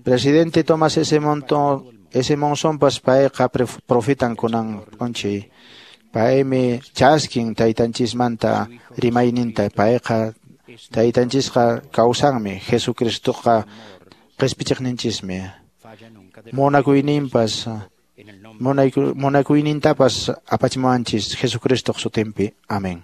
Presidente Thomas S. Monton, S. Monsonpas payqa profetan kunan p'unchay. Paymi chaskin taytanchismanta rimayninta, payqa taytanchisqa kawsanmi, Jesucristoqa qispichiqninchismi. Munakuyninpas munakuynintapas apachimuwanchis Jesucristoq sutinpi. Amén.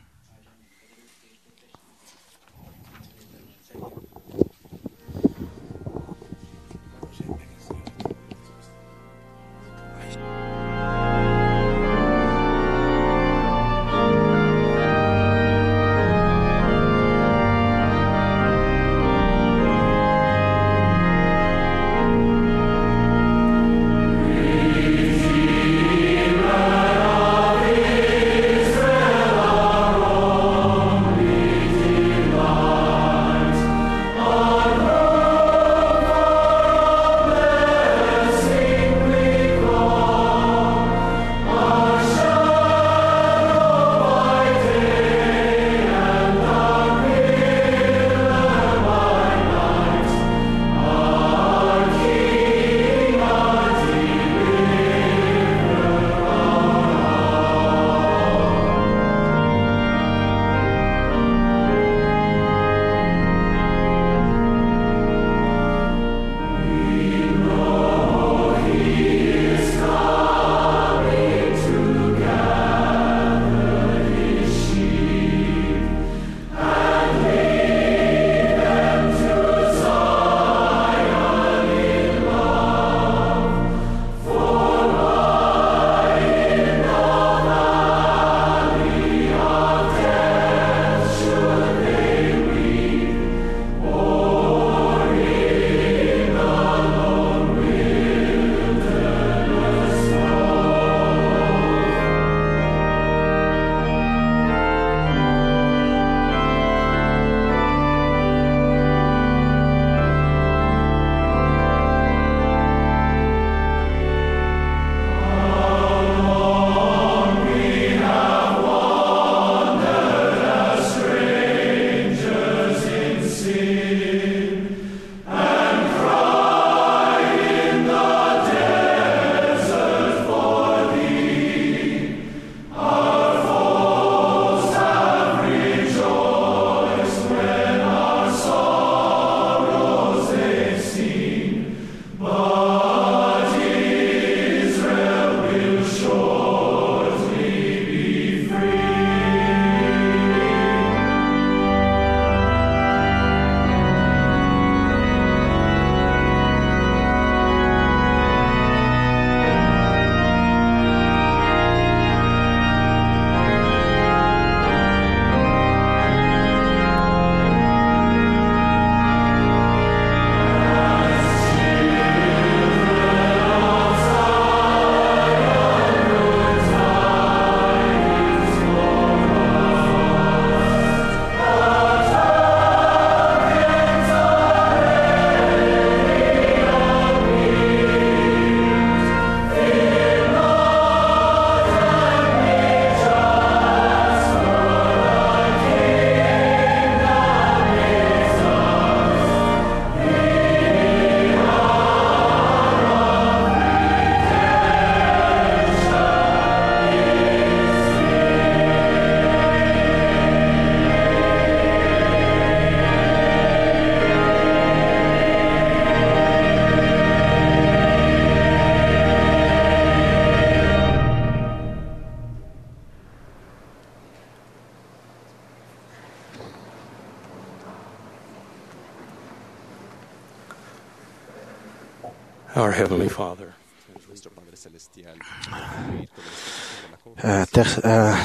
Our Heavenly Father.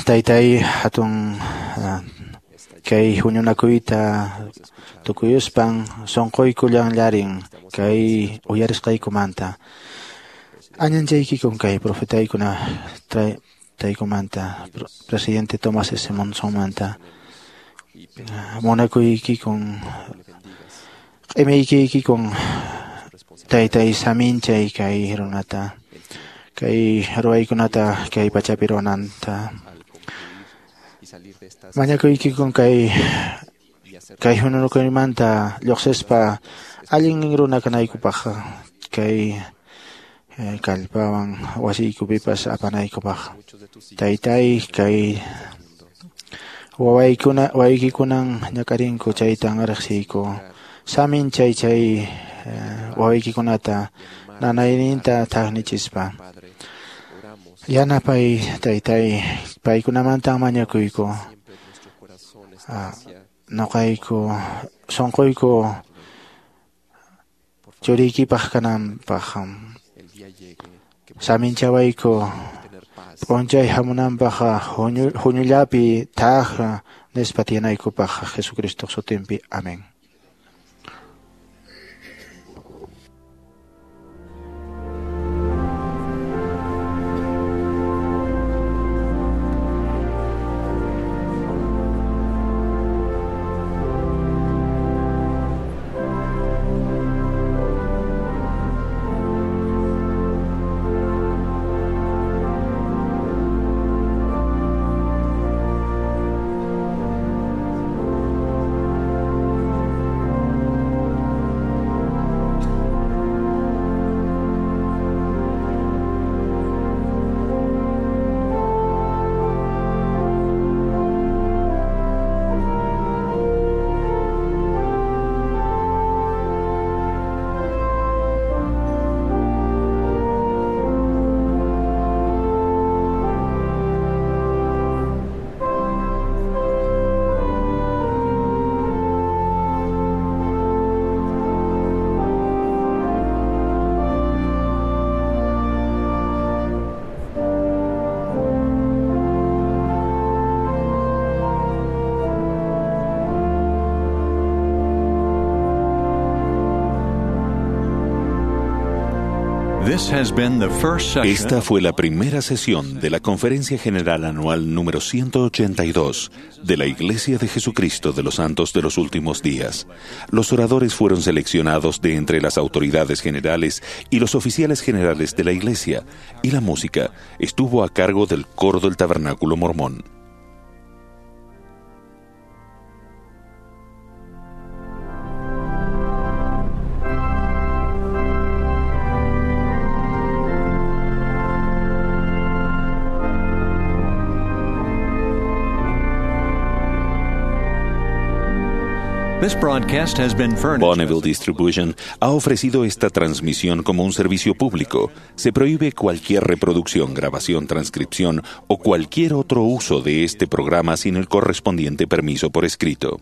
Taytay hatun kay huñunakuyta tukuyuspan sunquyku llanllarin kay uyarisqaykumanta. Añanchaykikun kay profetaykuna taykumanta presidente Thomas S. Monsonmanta munakuykikun q'imiykikun taytay saminchay kay runata kay ruwaykunata kay pachapi runanta mañakuykikun kay Kay huñunakuymanta lluqsispa allin runa kanaykupaq kay kallpawan wasiykupipas apanaykupaq. Taytay, kay wawaykuna wawaykikunan ñak'arinku chaytan riqsiyku. Samin chay chay wawaykikunata nanayninta thaqnichispa. Yanapay taytay, paykunamantan mañakuyku. Noqayku sunquyku churiykipaq kananpaq. Saminchawayku p'unchay hamunanpaq huñullapi thaq nispa tiyanaykupaq Jesucristo sutinpi. Amén. Esta fue la primera sesión de la Conferencia General Anual número ciento ochenta y dos de la Iglesia de Jesucristo de los Santos de los Últimos Días. Los oradores fueron seleccionados de entre las autoridades generales y los oficiales generales de la Iglesia, y la música estuvo a cargo del coro del Tabernáculo Mormón. Bonneville Distribution ha ofrecido esta transmisión como un servicio público. Se prohíbe cualquier reproducción, grabación, transcripción o cualquier otro uso de este programa sin el correspondiente permiso por escrito.